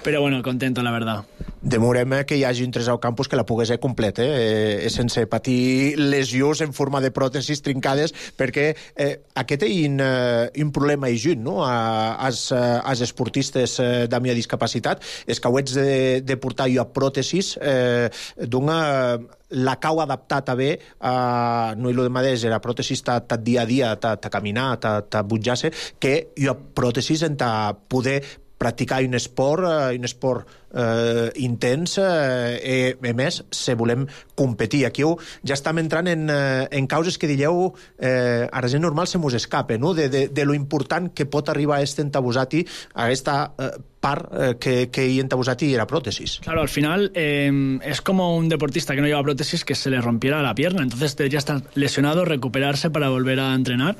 però bueno, contento, la verdad. Demorem que hi hagi un tres al campus que la pogués ser complet, eh? eh sense patir lesions en forma de pròtesis trincades, perquè eh, aquest és un, uh, un problema i junt, no?, als, als esportistes eh, amb discapacitat, és que ho ets de, de portar jo a pròtesis eh, d'una... la cau adaptat a bé, uh, no i lo de mateix, la pròtesis ta, ta dia a dia, ta, ta caminar, ta, ta butjar-se, que jo pròtesis en ta poder practicar un esport, uh, un esport uh, intens, uh, i a més, se volem competir. Aquí ja estem entrant en, uh, en causes que dilleu eh, a la gent normal se mos escape, no?, de, de, de lo important que pot arribar a este entabusati, a aquesta uh, part eh, que, que hi entabusati era prótesis. Claro, al final eh, es como un deportista que no lleva prótesis que se le rompiera la pierna, entonces debería estar lesionado, recuperarse para volver a entrenar.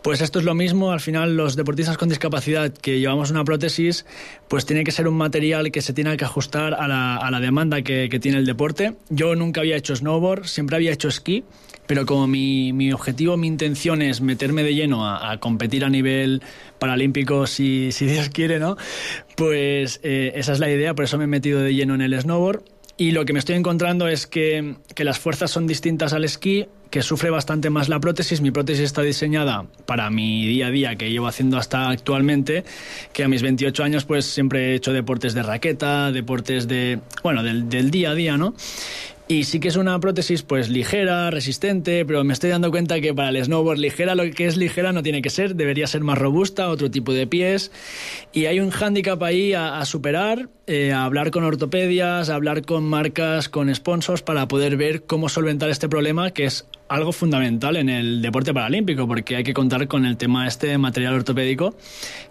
Pues esto es lo mismo, al final los deportistas con discapacidad que llevamos una prótesis, pues tiene que ser un material que se tiene que ajustar a la, a la demanda que, que tiene el deporte. Yo nunca había hecho snowboard, siempre había hecho esquí, pero como mi, mi objetivo, mi intención es meterme de lleno a, a competir a nivel paralímpico, si, si Dios quiere, ¿no? Pues eh, esa es la idea, por eso me he metido de lleno en el snowboard. Y lo que me estoy encontrando es que, que las fuerzas son distintas al esquí, que sufre bastante más la prótesis. Mi prótesis está diseñada para mi día a día que llevo haciendo hasta actualmente, que a mis veintiocho años pues siempre he hecho deportes de raqueta, deportes de, bueno, del, del día a día, ¿no? Y sí que es una prótesis pues ligera, resistente, pero me estoy dando cuenta que para el snowboard ligera, lo que es ligera no tiene que ser, debería ser más robusta, otro tipo de pies. Y hay un hándicap ahí a, a superar, eh, a hablar con ortopedias, a hablar con marcas, con sponsors para poder ver cómo solventar este problema, que es algo fundamental en el deporte paralímpico, porque hay que contar con el tema este de material ortopédico,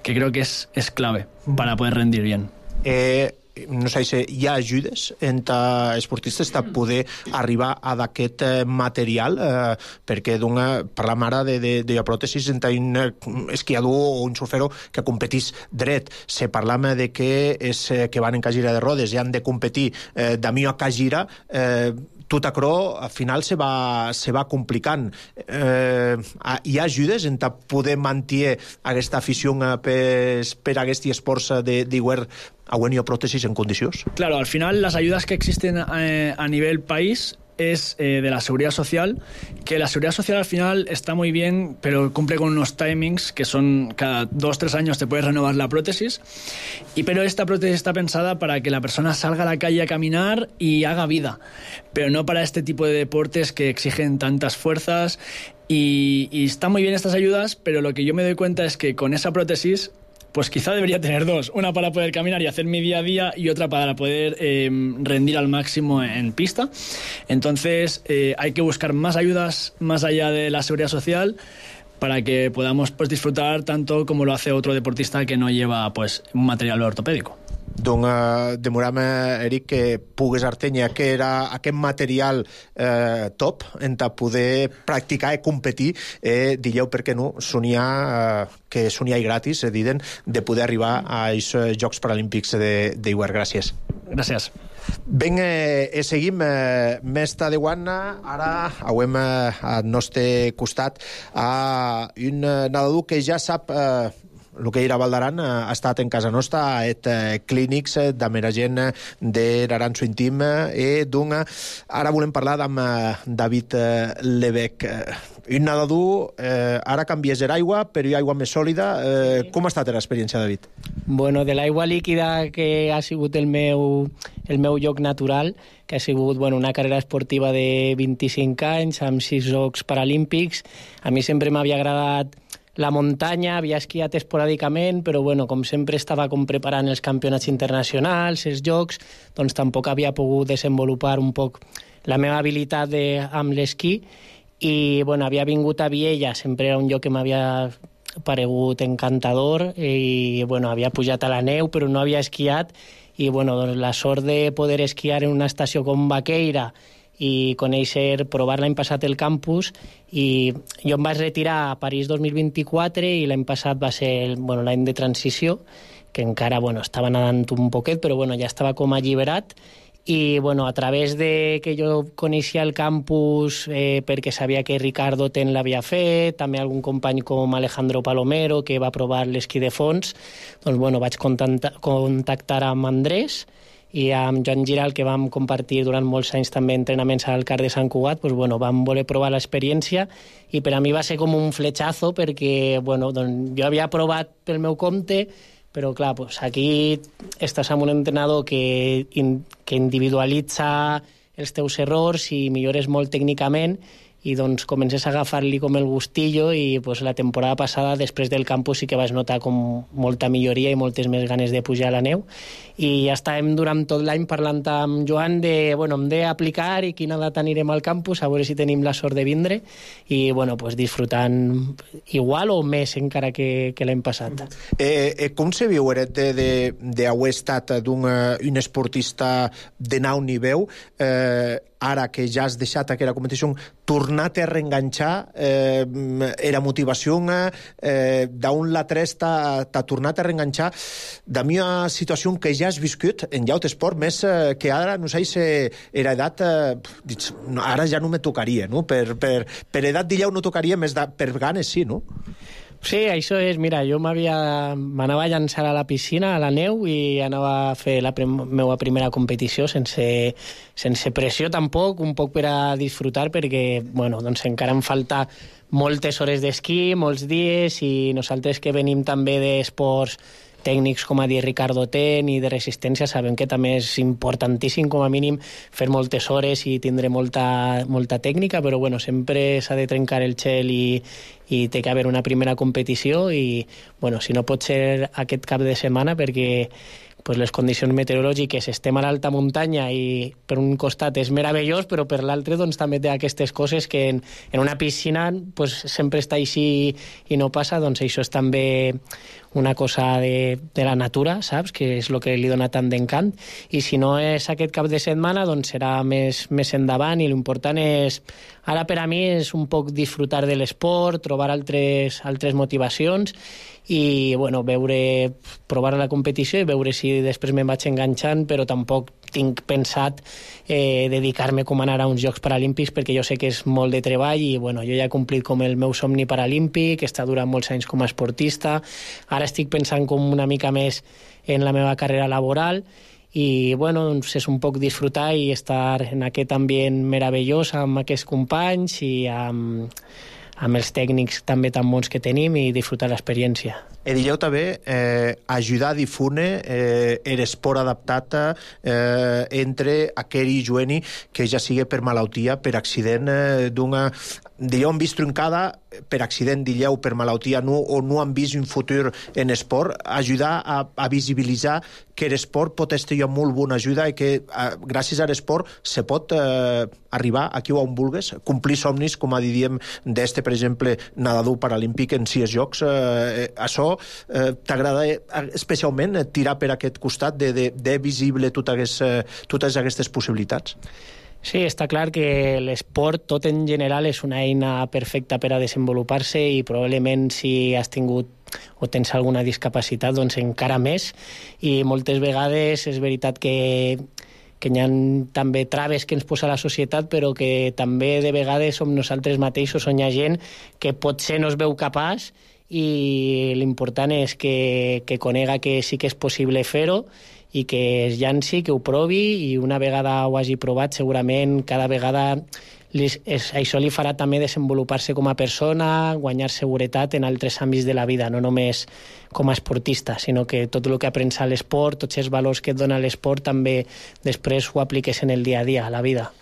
que creo que és, és clave para poder rendir bien. Eh, no sé si hi ha ajudes entre esportistes de poder arribar a d'aquest material, eh, perquè d'una, parlam ara de, de, de pròtesis entre un esquiador o un surfero que competís dret. Se parlam de que, és, que van en cagira de rodes i han de competir eh, de mi a cagira, eh, tot això al final se va, se va complicant. Eh, hi ha ajudes en poder mantenir aquesta afició per, per aquest esports d'iguer a guanyar pròtesis en condicions? Claro, al final las ayudas que existen eh, a nivel país es eh, de la Seguridad Social, que la Seguridad Social al final está muy bien, pero cumple con unos timings que son cada dos, tres años te puedes renovar la prótesis, y pero esta prótesis está pensada para que la persona salga a la calle a caminar y haga vida, pero no para este tipo de deportes que exigen tantas fuerzas, y, y están muy bien estas ayudas, pero lo que yo me doy cuenta es que con esa prótesis pues quizá debería tener dos, una para poder caminar y hacer mi día a día y otra para poder eh, rendir al máximo en pista. Entonces eh, hay que buscar más ayudas más allá de la seguridad social para que podamos pues, disfrutar tanto como lo hace otro deportista que no lleva pues, un material ortopédico. Doncs uh, demorem, Eric, que pugues artenya que era aquest material eh, top en poder practicar i competir, eh, digueu per què no, sonia, eh, que sonia i gratis, eh, diden, de poder arribar a aquests Jocs Paralímpics d'Iguer. Gràcies. Gràcies. Ben, eh, seguim eh, més tardeuant, ara hauem eh, al nostre costat a un nedador que ja sap eh, el que era Valdaran, ha estat en casa nostra, ha et clínics d'amera gent de l'Aranço Intim, i doncs ara volem parlar amb David Lebec. Un nedador, eh, ara canvies l'aigua, però hi ha aigua més sòlida. Eh, com ha estat l'experiència, David? Bueno, de l'aigua líquida, que ha sigut el meu, el meu lloc natural, que ha sigut bueno, una carrera esportiva de vint-i-cinc anys, amb sis Jocs Paralímpics. A mi sempre m'havia agradat la muntanya, havia esquiat esporàdicament, però bueno, com sempre estava com preparant els campionats internacionals, els jocs, doncs tampoc havia pogut desenvolupar un poc la meva habilitat de, amb l'esquí, i bueno, havia vingut a Viella, sempre era un lloc que m'havia paregut encantador, i bueno, havia pujat a la neu, però no havia esquiat, i bueno, doncs la sort de poder esquiar en una estació com Baqueira i conèixer, provar l'any passat el campus, i jo em vaig retirar a París dos mil vint-i-quatre i l'any passat va ser bueno, l'any de transició, que encara bueno, estava nedant un poquet, però bueno, ja estava com alliberat, i bueno, a través de que jo coneixia el campus eh, perquè sabia que Ricardo Ten l'havia fet, també algun company com Alejandro Palomero que va provar l'esquí de fons, doncs bueno, vaig contactar, contactar amb Andrés i amb Joan Giral, que vam compartir durant molts anys també entrenaments al CAR de Sant Cugat, doncs, bueno, vam voler provar l'experiència, i per a mi va ser com un fletxazo, perquè bueno, doncs, jo havia provat pel meu compte, però clar, doncs, aquí estàs amb un entrenador que, in, que individualitza els teus errors i millores molt tècnicament, i doncs comences a agafar-li com el gustillo, i pues, la temporada passada, després del campus, sí que vaig notar com molta milloria i moltes més ganes de pujar a la neu, i ja estàvem durant tot l'any parlant amb Joan de, bueno, hem d'aplicar i quina data anirem al campus, a veure si tenim la sort de vindre, i bueno, pues, disfrutant igual o més encara que, que l'any passat. Eh, eh, com se viu d'haver estat d'un un esportista de nau nivell, eh, ara que ja has deixat aquella competició, tornar-te a reenganxar, eh, era motivació, eh, d'un l'altre t'ha tornat a reenganxar de mi una situació que ja has viscut en llaut esport, més eh, que ara, no sé si era edat, eh, ara ja no me tocaria, no? Per, per, per edat d'illau no tocaria, més de, per ganes sí, no? Sí, això és, mira, jo m'anava a llançar a la piscina, a la neu, i anava a fer la prim meva primera competició sense, sense pressió tampoc, un poc per a disfrutar, perquè bueno, doncs encara em falta moltes hores d'esquí, molts dies, i nosaltres que venim també d'esports tècnics, com ha dit Ricardo Ten, i de resistència, sabem que també és importantíssim, com a mínim, fer moltes hores i tindre molta, molta tècnica, però bueno, sempre s'ha de trencar el gel i, i té que haver una primera competició i, bueno, si no pot ser aquest cap de setmana, perquè pues les condicions meteorològiques, estem a l'alta muntanya i per un costat és meravellós, però per l'altre doncs, també té aquestes coses que en, en una piscina pues, sempre està així i no passa, doncs això és també una cosa de, de la natura, saps? Que és el que li dona tant d'encant. I si no és aquest cap de setmana, doncs serà més, més endavant i l'important és, ara per a mi, és un poc disfrutar de l'esport, trobar altres, altres motivacions i, bueno, veure, provar la competició i veure si després me'n vaig enganxant, però tampoc tinc pensat eh, dedicar-me com a anar a uns Jocs Paralímpics perquè jo sé que és molt de treball i, bueno, jo ja he complit com el meu somni paralímpic, he estat durant molts anys com a esportista, ara estic pensant com una mica més en la meva carrera laboral i, bueno, doncs és un poc disfrutar i estar en aquest ambient meravellós amb aquests companys i amb, amb els tècnics també tan bons que tenim i disfrutar l'experiència. E dilleu també eh, ajudar a difune eh, l'esport adaptat eh, entre aquell i jueni que ja sigui per malaltia, per accident eh, d'una... Dilleu han vist truncada per accident, dilleu, per malaltia, no, o no han vist un futur en esport, ajudar a, a visibilitzar que l'esport pot estar jo molt bona ajuda i que eh, gràcies a l'esport se pot eh, arribar aquí on vulgues, complir somnis, com a diem d'este, per exemple, nadador paralímpic en sis jocs. Eh, això eh, t'agrada especialment tirar per aquest costat de, de, de visible totes, eh, totes aquestes possibilitats? Sí, està clar que l'esport tot en general és una eina perfecta per a desenvolupar-se i probablement si has tingut o tens alguna discapacitat, doncs encara més. I moltes vegades és veritat que, que hi ha també traves que ens posa la societat, però que també de vegades som nosaltres mateixos on hi ha gent que potser no es veu capaç i l'important és que, que conega que sí que és possible fer-ho i que es llanci, que ho provi i una vegada ho hagi provat segurament cada vegada li, és, això li farà també desenvolupar-se com a persona, guanyar seguretat en altres àmbits de la vida, no només com a esportista, sinó que tot el que aprens a l'esport, tots els valors que et dona l'esport també després ho apliques en el dia a dia, a la vida.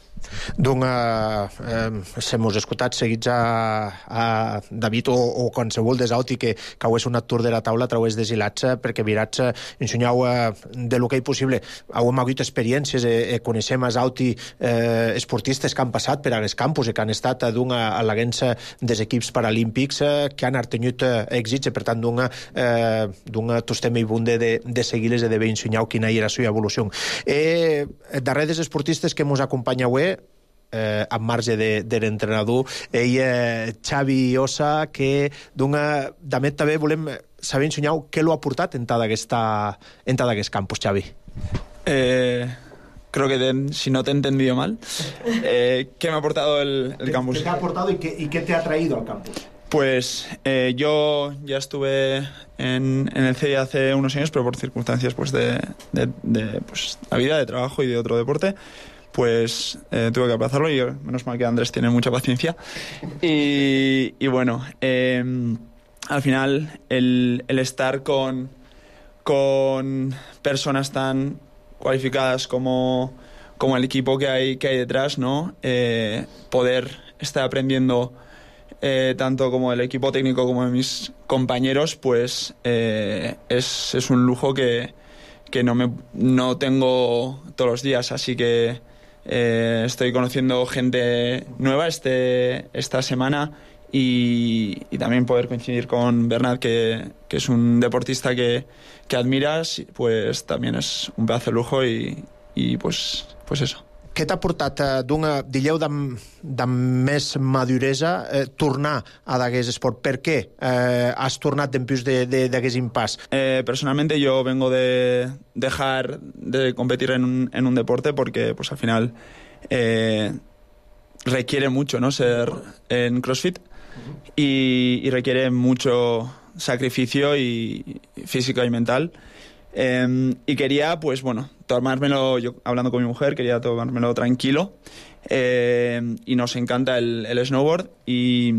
Doncs eh, se mos escoltat seguits a, a David o, o qualsevol des auti que, que heu sonat tour de la taula a través de Zilats perquè mirats ensenyau eh, de lo que hi possible. Hem hagut experiències, eh, coneixem els auti eh, esportistes que han passat per als campus i que han estat d'un al·leguents dels equips paralímpics eh, que han tingut eh, èxits i per tant d'un eh, tostem i bunde de, de seguir-les i de bé ensenyau quina era la seva evolució. Eh, darrere dels esportistes que mos acompanyeu Eh, en marge de, de l'entrenador, ell, eh, Xavi Ossa, que d'una... També, també volem saber ensenyar què l'ha portat en tot aquest campus, Xavi. Eh, creo que te, si no te he entendido mal, eh, ¿qué me ha aportado el, el campus? ¿Qué te ha aportado y qué, y qué te ha traído al campus? Pues eh, yo ya estuve en, en el C I hace unos años, pero por circunstancias pues, de, de, de pues, la vida, de trabajo y de otro deporte, pues eh, tuve que aplazarlo y menos mal que Andrés tiene mucha paciencia. Y, y bueno, eh, al final el, el estar con, con personas tan cualificadas como, como el equipo que hay, que hay detrás, ¿no? Eh, poder estar aprendiendo eh, tanto como el equipo técnico como de mis compañeros, pues eh, es, es un lujo que, que no, me, no tengo todos los días, así que Eh, estoy conociendo gente nueva este, esta semana y, y también poder coincidir con Bernat, que, que es un deportista que, que admiras, pues también es un pedazo de lujo y, y pues, pues eso. Què t'ha portat, eh, d'una, dilleu, de, de més maduresa, eh, tornar a d'aquest esport? Per què eh, has tornat després d'aquest impàs? Eh, personalmente yo vengo de dejar de competir en un, en un deporte porque pues al final eh, requiere mucho, ¿no? Ser en CrossFit y, y requiere mucho sacrificio y físico y mental. Eh, y quería, pues bueno, tomármelo, yo hablando con mi mujer, quería tomármelo tranquilo eh, y nos encanta el, el snowboard y,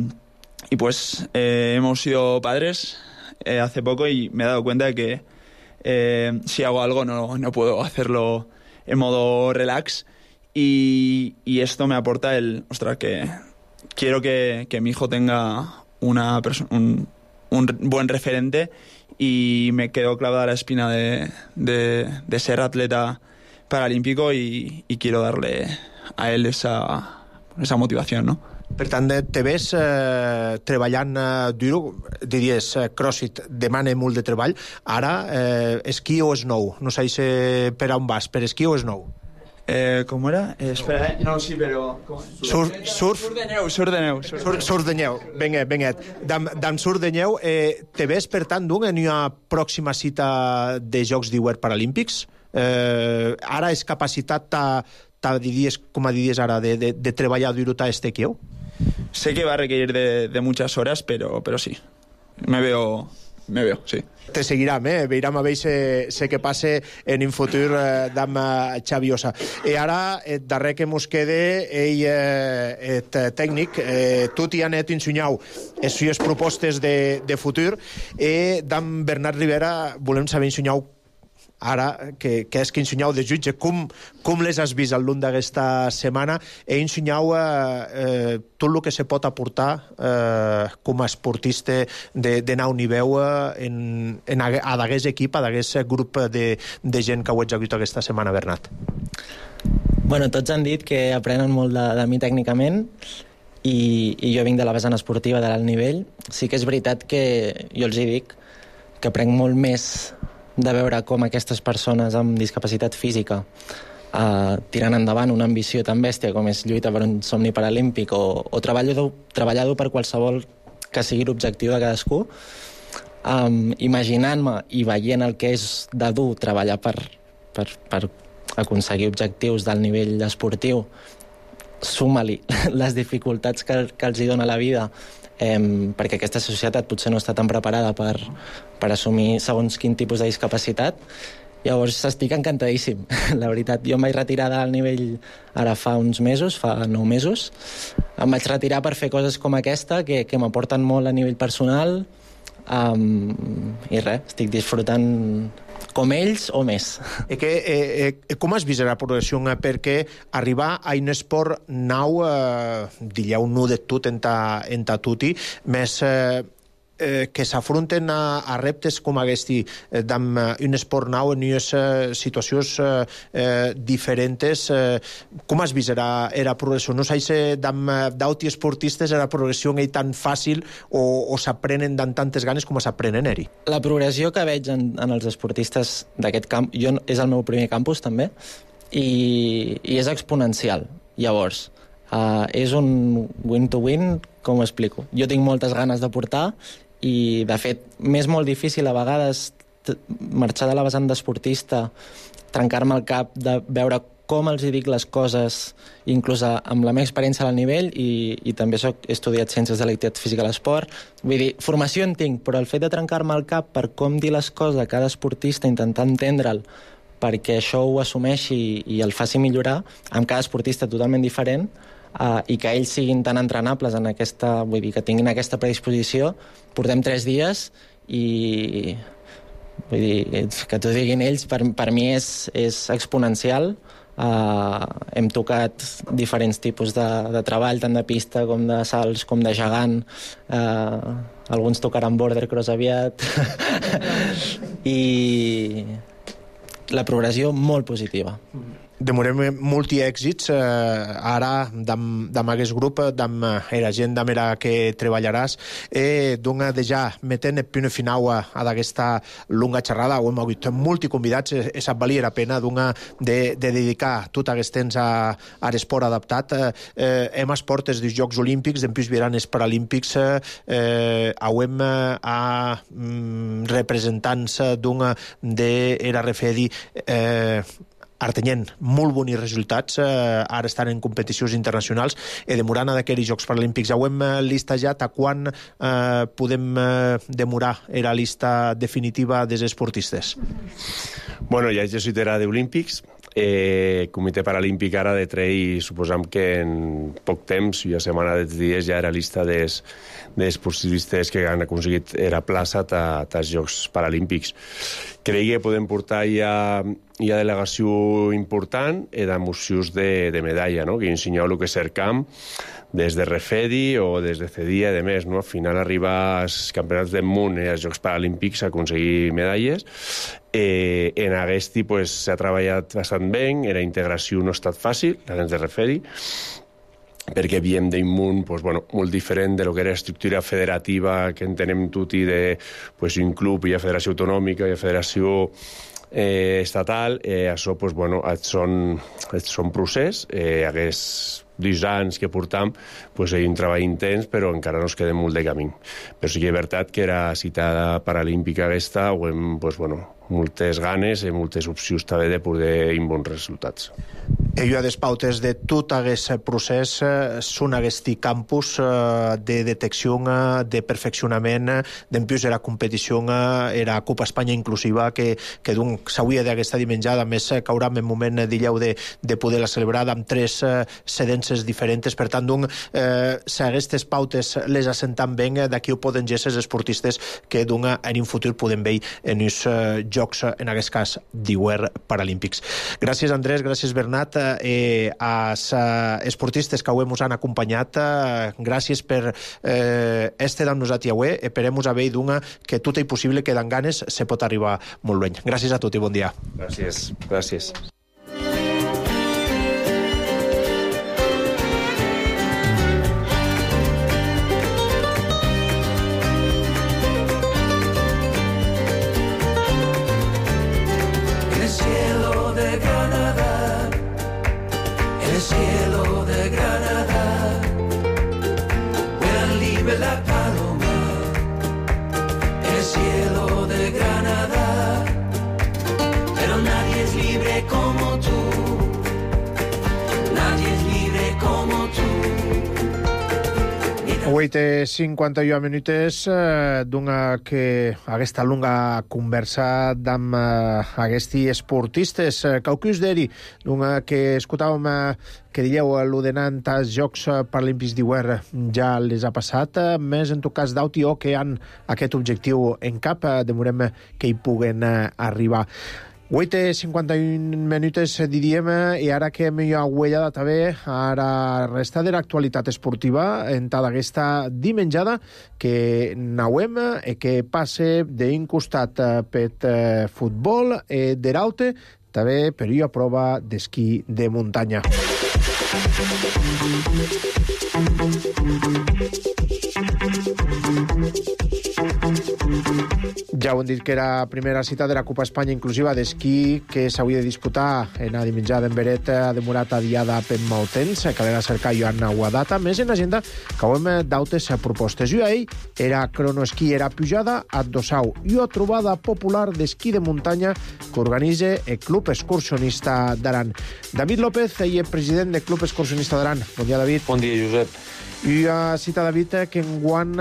y pues eh, hemos sido padres eh, hace poco y me he dado cuenta de que eh, si hago algo no, no puedo hacerlo en modo relax y, y esto me aporta el, ostras, que quiero que, que mi hijo tenga una perso- un, un buen referente y me quedó clavada la espina de, de, de ser atleta paralímpico y, y quiero darle a él esa, esa motivación, ¿no? Per tant, te ves eh, treballant eh, dur, diries, eh, CrossFit demana molt de treball, ara eh, esquí o snow, no sé si per on vas, per esquí o snow? Eh, ¿Cómo era? Eh, espera, eh. No, sí, pero... Surf, surf, surf de neu, surf de neu. Surf, surf, surf de neu, vinga, vinga. D'am, d'am surf de neu, eh, te ves, per tant, d'un, en una pròxima cita de Jocs d'Hivern Paralímpics? Eh, ara és capacitat, ta, ta diries, com a diries ara, de, de, de treballar dur a este quieu? Sé que va a requerir de, de muchas horas, pero, pero sí. Me veo, me veo, sí. Te seguirem, eh? Veurem a veure sé, sé què passa en un futur eh, d'am Xavi Ossa. I ara, el darrer que mos quede, ell, eh, et tècnic, eh, tu t'hi anet ensenyau les sues propostes de, de futur, i d'am Bernat Rivera volem saber ensenyau ara, que, que és que ensenyau de jutge, com, com les has vist al llarg d'aquesta setmana, i ensenyau eh, eh, tot el que se pot aportar eh, com a esportista de, de nau niveu eh, en, en a, a d'aquest equip, a d'aquest grup de, de gent que ho ets hagut aquesta setmana, Bernat. Bueno, tots han dit que aprenen molt de, de mi tècnicament i, i jo vinc de la vessant esportiva de l'alt nivell. Sí que és veritat que jo els hi dic que aprenc molt més de veure com aquestes persones amb discapacitat física eh, tirant endavant una ambició tan bèstia com és lluita per un somni paralímpic o, o treballar, treballar per qualsevol que sigui l'objectiu de cadascú, um, imaginant-me i veient el que és de dur treballar per, per, per aconseguir objectius del nivell esportiu, suma-li les dificultats que, que els hi dona la vida, eh, perquè aquesta societat potser no està tan preparada per, per assumir segons quin tipus de discapacitat. Llavors estic encantadíssim, la veritat. Jo em vaig retirar del nivell ara fa uns mesos, fa nou mesos. Em vaig retirar per fer coses com aquesta, que, que m'aporten molt a nivell personal, um, i res, estic disfrutant com ells o més. E que, eh, eh, com has vist la progressió? Perquè arribar a un esport nou, eh, digueu nu de tot en ta, en ta tuti, més eh, eh, que s'afronten a, a reptes com aquest, eh, d'am un esport nou en unes eh, situacions eh, eh, diferents. Eh, com has vist la, la progressió? No sé si d'auti esportistes la progressió és tan fàcil o, o s'aprenen amb tantes ganes com s'aprenen eri? La progressió que veig en, en els esportistes d'aquest camp, jo, és el meu primer campus també, i, i és exponencial. Llavors, uh, és un win-to-win, com ho explico? Jo tinc moltes ganes de portar i, de fet, m'és molt difícil a vegades marxar de la vessant d'esportista, trencar-me el cap de veure com els hi dic les coses, inclús amb la meva experiència al nivell, i, i també soc, he estudiat Ciències de l'Activitat Física a l'Esport. Vull dir, formació en tinc, però el fet de trencar-me el cap per com dir les coses a cada esportista, intentar entendre'l, perquè això ho assumeixi i el faci millorar, amb cada esportista totalment diferent, uh, i que ells siguin tan entrenables en aquesta, vull dir, que tinguin aquesta predisposició. Portem tres dies i, vull dir, que t'ho diguin ells, per, per mi és, és exponencial. Uh, hem tocat diferents tipus de, de treball, tant de pista com de salts, com de gegant. Uh, alguns tocaran border cross aviat. I la progressió molt positiva. Demorem multi èxits eh, ara d'am aquest grup, d'am era gent d'am era que treballaràs, eh, d'una de ja metent el punt final a, a d'aquesta longa xerrada. Ho hem hagut multi convidats, eh, sap valia la pena d'una de, de dedicar tot aquest temps a, a l'esport adaptat. Eh, hem a esportes dels Jocs Olímpics, després vieran els Paralímpics, eh, hem a mm, representants d'una de R F E D I eh, artenyent molt bons resultats, eh, ara estan en competicions internacionals, i demorant a d'aquells Jocs Paralímpics. Ho hem listejat a quan eh, podem eh, demorar era la llista definitiva dels esportistes. Bueno, ja he sigut era d'Olímpics, Eh, Comitè Paralímpic ara de trei, suposam que en poc temps, i a setmana de dies ja era llista dels, dels esportistes que han aconseguit era plaça als Jocs Paralímpics. Crec que podem portar ja, ja delegació important e d'emocions de, de medalla, no? Que ensenyeu el que és Cercamp, des de Refedi o des de Cedia, de més, no? Al final arribar als campionats del món i als Jocs Paralímpics a aconseguir medalles. Eh, en Aguesti pues, s'ha treballat bastant bé, la integració no ha estat fàcil, la de Refedi, perquè havíem d'un món pues, bueno, molt diferent de lo que era estructura federativa que entenem tutti de pues, un club, hi ha federació autonòmica, hi ha federació eh, estatal, eh, això pues, bueno, són, són procés, eh, hagués dos anys que portam, pues, hi ha un treball intens, però encara no es queda molt de camí. Però sí que és veritat que era citada paralímpica aquesta, o hem, pues, bueno, moltes ganes i moltes opcions també de poder ir bons resultats. Ella des pautes de tot aquest procés són aquest campus de detecció, de perfeccionament, d'empius era competició, era Copa Espanya inclusiva, que, que s'hauria d'aquesta dimenjada, més que haurà en moment d'illeu de, de poder-la celebrar amb tres cedències diferents. Per tant, eh, si aquestes pautes les assentam bé, d'aquí ho poden gesser els esportistes que en un futur podem veure en els Jocs, en aquest cas, d'hivern paralímpics. Gràcies, Andrés, gràcies, Bernat. Eh, als eh, esportistes que avui ens han acompanyat, eh, gràcies per eh, estar amb nosaltres avui. Esperem a veure d'una que tot és possible, que d'en ganes se pot arribar molt lluny. Gràcies a tots i bon dia. Gràcies, gràcies. Avui té cinquanta-u minuts eh, d'una que aquesta longa conversa amb eh, aquests esportistes. Caucus d'eri, d'una que escoltàvem eh, que dieu l'ordenant als Jocs Paralímpics d'hivern ja les ha passat, eh, més en tot cas d'Autio que han aquest objectiu en cap, eh, demorem que hi puguen eh, arribar. Avui té cinquanta-un minuts, diríem, i ara que hem aguellada també, ara resta de l'actualitat esportiva en tota aquesta dimenjada que nauem i que passe d'un costat per futbol i de l'altre també per una prova d'esquí de muntanya. Ja ho hem dit que era la primera cita de la Copa Espanya inclusiva d'esquí que s'hauria de disputar en la dimenjada en Beret, ha demorat adiada per molt temps, calera cercar Joan Guadata, més en l'agenda que hem d'autes propostes. I ahir era cronoesquí, era pujada a Dossau i una trobada popular d'esquí de muntanya que organitza el Club Excursionista d'Aran. David López, ell és president del Club Excursionista d'Aran. Bon dia, David. Bon dia, Josep. I a cita, David, que enguany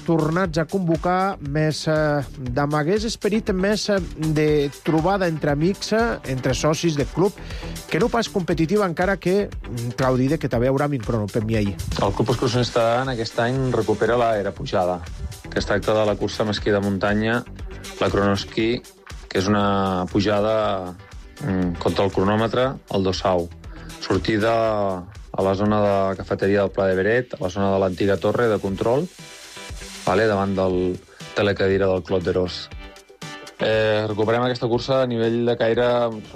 tornats a convocar més d'amagués esperit, més de trobada entre amics, entre socis del club, que no pas competitiva, encara que Claudi, que també haurà un crono per mi ahir. El Club Excursionista en aquest any recupera l'era pujada, que es tracta de la cursa amb esquí de muntanya, la cronoesquí, que és una pujada contra el cronòmetre al Dossau. Sortida a la zona de la cafeteria del Pla de Beret, a la zona de l'antiga torre de control, vale, davant del telecadira del Clot d'Eros. Eh, recuperem aquesta cursa a nivell de caire...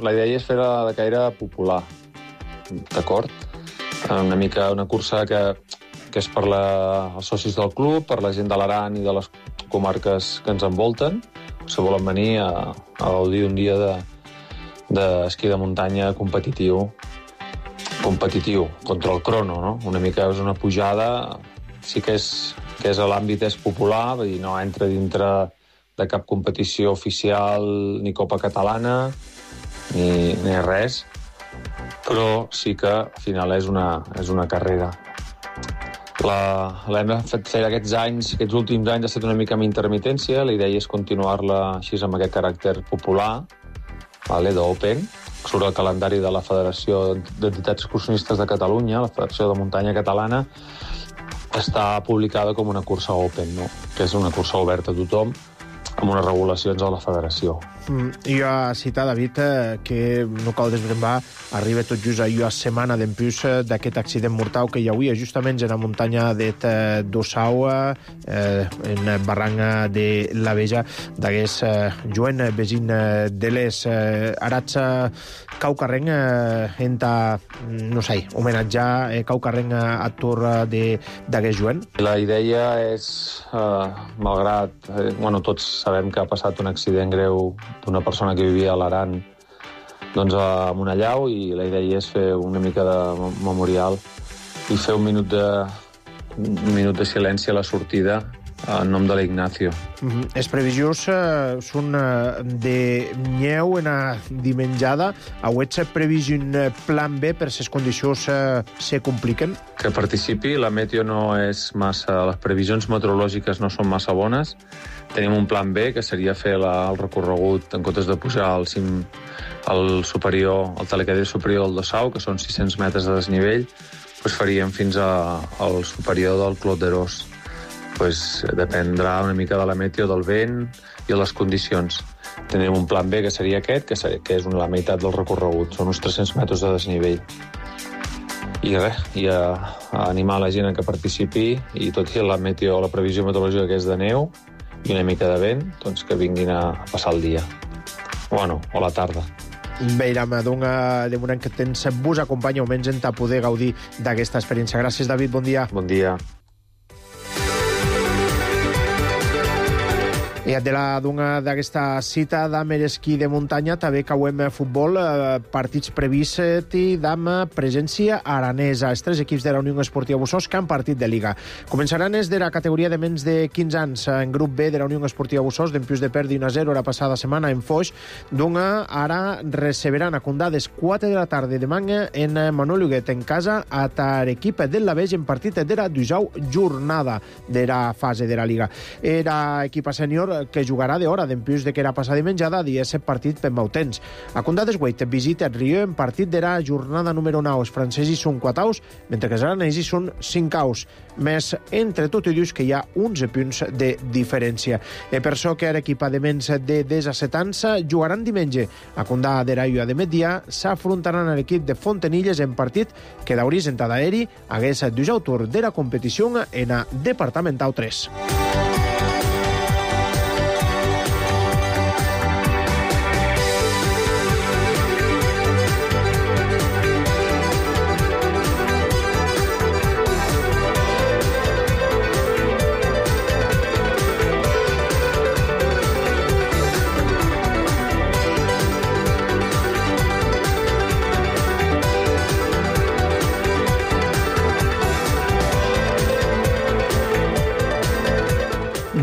La idea és fer-la de caire popular, d'acord? Una mica una cursa que, que és per la, els socis del club, per la gent de l'Aran i de les comarques que ens envolten, si volen venir a, a gaudir un dia d'esquí de, de muntanya competitiu, competitiu, contra el crono, no? Una mica és una pujada, sí que és, que és a l'àmbit és popular, vull dir, no entra dintre de cap competició oficial, ni Copa Catalana, ni, ni res, però sí que al final és una, és una carrera. L'hem fet fer aquests anys, aquests últims anys ha estat una mica amb intermitència, la idea és continuar-la així amb aquest caràcter popular, vale, d'open, surt el calendari de la Federació d'Entitats Excursionistes de Catalunya, la Federació de Muntanya Catalana, està publicada com una cursa open, no? Que és una cursa oberta a tothom, amb unes regulacions a la federació. Mm, jo a citar, David, eh, que no cal desbrembar, arriba tot just a jo setmana d'empús d'aquest accident mortal que hi havia justament en la muntanya de Dossau, eh, en barranca de la Veja, d'hagués eh, Joan Besin de les eh, arats caucarrenc eh, enta, no sé, homenatjar eh, caucarrenc a Tur d'hagués Joan. La idea és, eh, malgrat, eh, bueno, tots sabem que ha passat un accident greu d'una persona que vivia a l'Aran, doncs a Monellau, i la idea és fer una mica de memorial i fer un minut de, un minut de silenci a la sortida en nom de l'Ignacio. Mm-hmm. Els previsions eh, són eh, de nyeu en a dimenjada. Auets previst un plan B per si les condicions eh, se compliquen? Que participi, la meteo no és massa... Les previsions meteorològiques no són massa bones. Tenim un plan B, que seria fer la, el recorregut, en comptes de pujar al cim, al superior, al telecadire superior del Dossau, que són sis-cents metres de desnivell, doncs faríem fins a, al superior del Clot d'Erós. Pues dependrà una mica de la meteo, del vent i de les condicions. Tenim un plan B, que seria aquest, que, ser, que és la meitat del recorregut, són uns tres-cents metres de desnivell. I res, i a, a animar la gent a que participi, i tot i la meteo, la previsió meteorològica que és de neu i una mica de vent, doncs que vinguin a passar el dia. Bueno, o la tarda. Veiram, de moment que tens vos acompanya almenys en ta poder gaudir d'aquesta experiència. Gràcies, David, bon dia. Bon dia. I de la d'una d'aquesta cita d'am esquí de muntanya també cauem futbol, eh, partits previstos i d'am presència aranesa. Els tres equips de la Unió Esportiva Bussos que han partit de Liga. Començaran és de la categoria de menys de quinze anys. En grup B de la Unió Esportiva Bussos, d'empius de perdi un a zero la passada setmana en Foix, d'una ara receberan a Condades quatre de la tarda de manga en Manuel Huguet en casa a l'equip del Laveix en partit de la dusau jornada de la fase de la Liga. Era equip sènior que jugarà d'hora d'empius de que era passada menjada dia set partit per Mautens. A Condades Guait visita el Rió en partit de la jornada número nou. Els francesos són quatre aus, mentre que els aranesos són cinc aus. Més entre tot i dius que hi ha onze punts de diferència. E per això que l'equip de menys de disset anys jugaran diumenge. A Condà de Raio de migdia s'afrontaran a l'equip de Fontenilles en partit que d'Auris en Tadaeri hagués dus autor de la competició en a Departamental tres.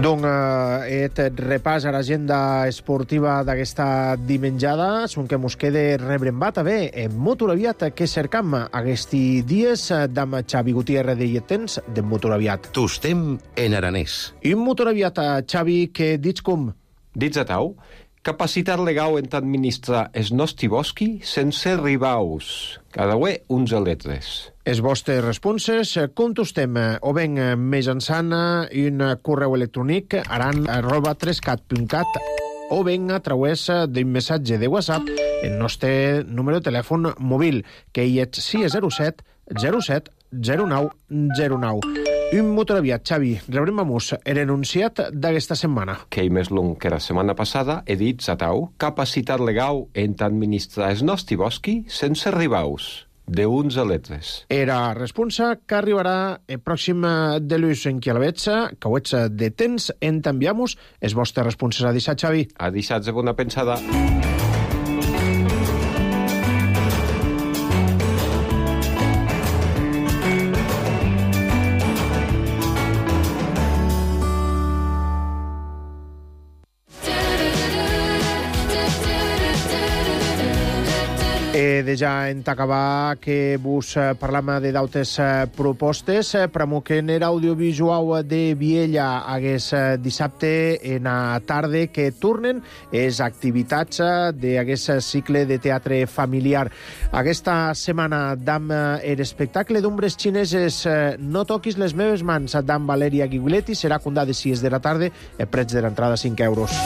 Donc, eh, et repàs a l'agenda esportiva d'aquesta dimenjada, són que mos quede rebrembat a bé en Motoraviat que cercam aquests dies d'am Xavi Gutiérrez de Lletens de Motoraviat. Tostem en aranès. I Motoraviat, Xavi, que dits com? Dits a tau, capacitat legal en administrar es nostri bosqui sense ribaus. Cada uè onze letres. Els vostres responses contestem o ben mitjançant un correu electrònic aran arroba trescat punt cat o ben a través d'un missatge de WhatsApp el nostre número de telèfon mòbil, que hi és sis zero set zero set zero nou zero nou. Un Motoraviat, Xavi, rebrem a mus l'enunciat d'aquesta setmana. Que hi més long que la setmana passada he dit a tau capacitat legal en administrar es nostri bosqui sense ribaus. De onze letres. Era responsa que arribarà el pròxim de l'ús en qui a la vetja, que ho ets de temps, en t'enviamos els vostres responses. A deixat, Xavi. A deixat de bona pensada. E de ja en acabar que vos parlam de dautes propostes. Pramoquen era audiovisual de Viella hagués dissabte en a tarda que tornen es activitats d'aguest cicle de teatre familiar. Aquesta setmana dam er espectacle d'ombres xineses No toquis les meves mans d'en Valeria Guiguletti serà condat de sis de la tarda a prets de l'entrada cinc euros.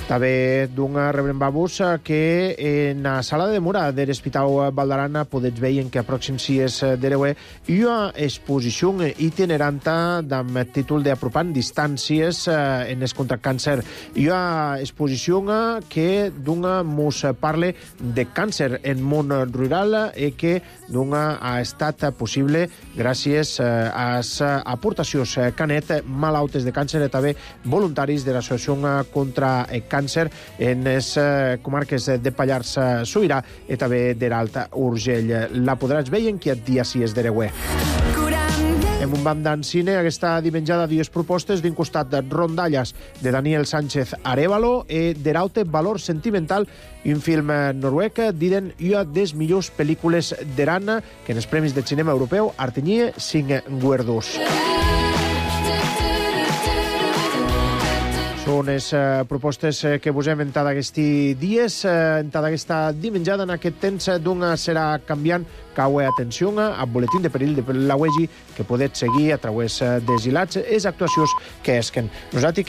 També d'una rebrembabus que en la sala de demora de l'Hospital Valdarana podets veure que a pròxim sis d'Ereuer hi ha exposició itineranta amb títol d'apropant distàncies en el contra càncer. Hi ha exposició que d'una mos parla de càncer en món rural i que d'una ha estat possible gràcies a les aportacions canet malautes de càncer i també voluntaris de l'Associació contra el càncer en les comarques de Pallars Sobirà i també de l'Alt Urgell. La podràs veure en aquest dia sis d'Ereuer. En un band d'en cine, aquesta dimenjada dues propostes d'un costat de Rondallas de Daniel Sánchez Arévalo i d'Eraute Valor Sentimental, un film noruec diden una de les millors pel·lícules d'Eran que en els Premis de Cinema Europeu artenyia cinc guerdos. Són les uh, propostes uh, que vos hem entat aquests dies, uh, entat aquesta dimenjada en aquest temps d'una serà canviant caue atenció al boletín de perill de la U E G I que podeu seguir a través uh, dels hilats les actuacions que esquen. Nosaltres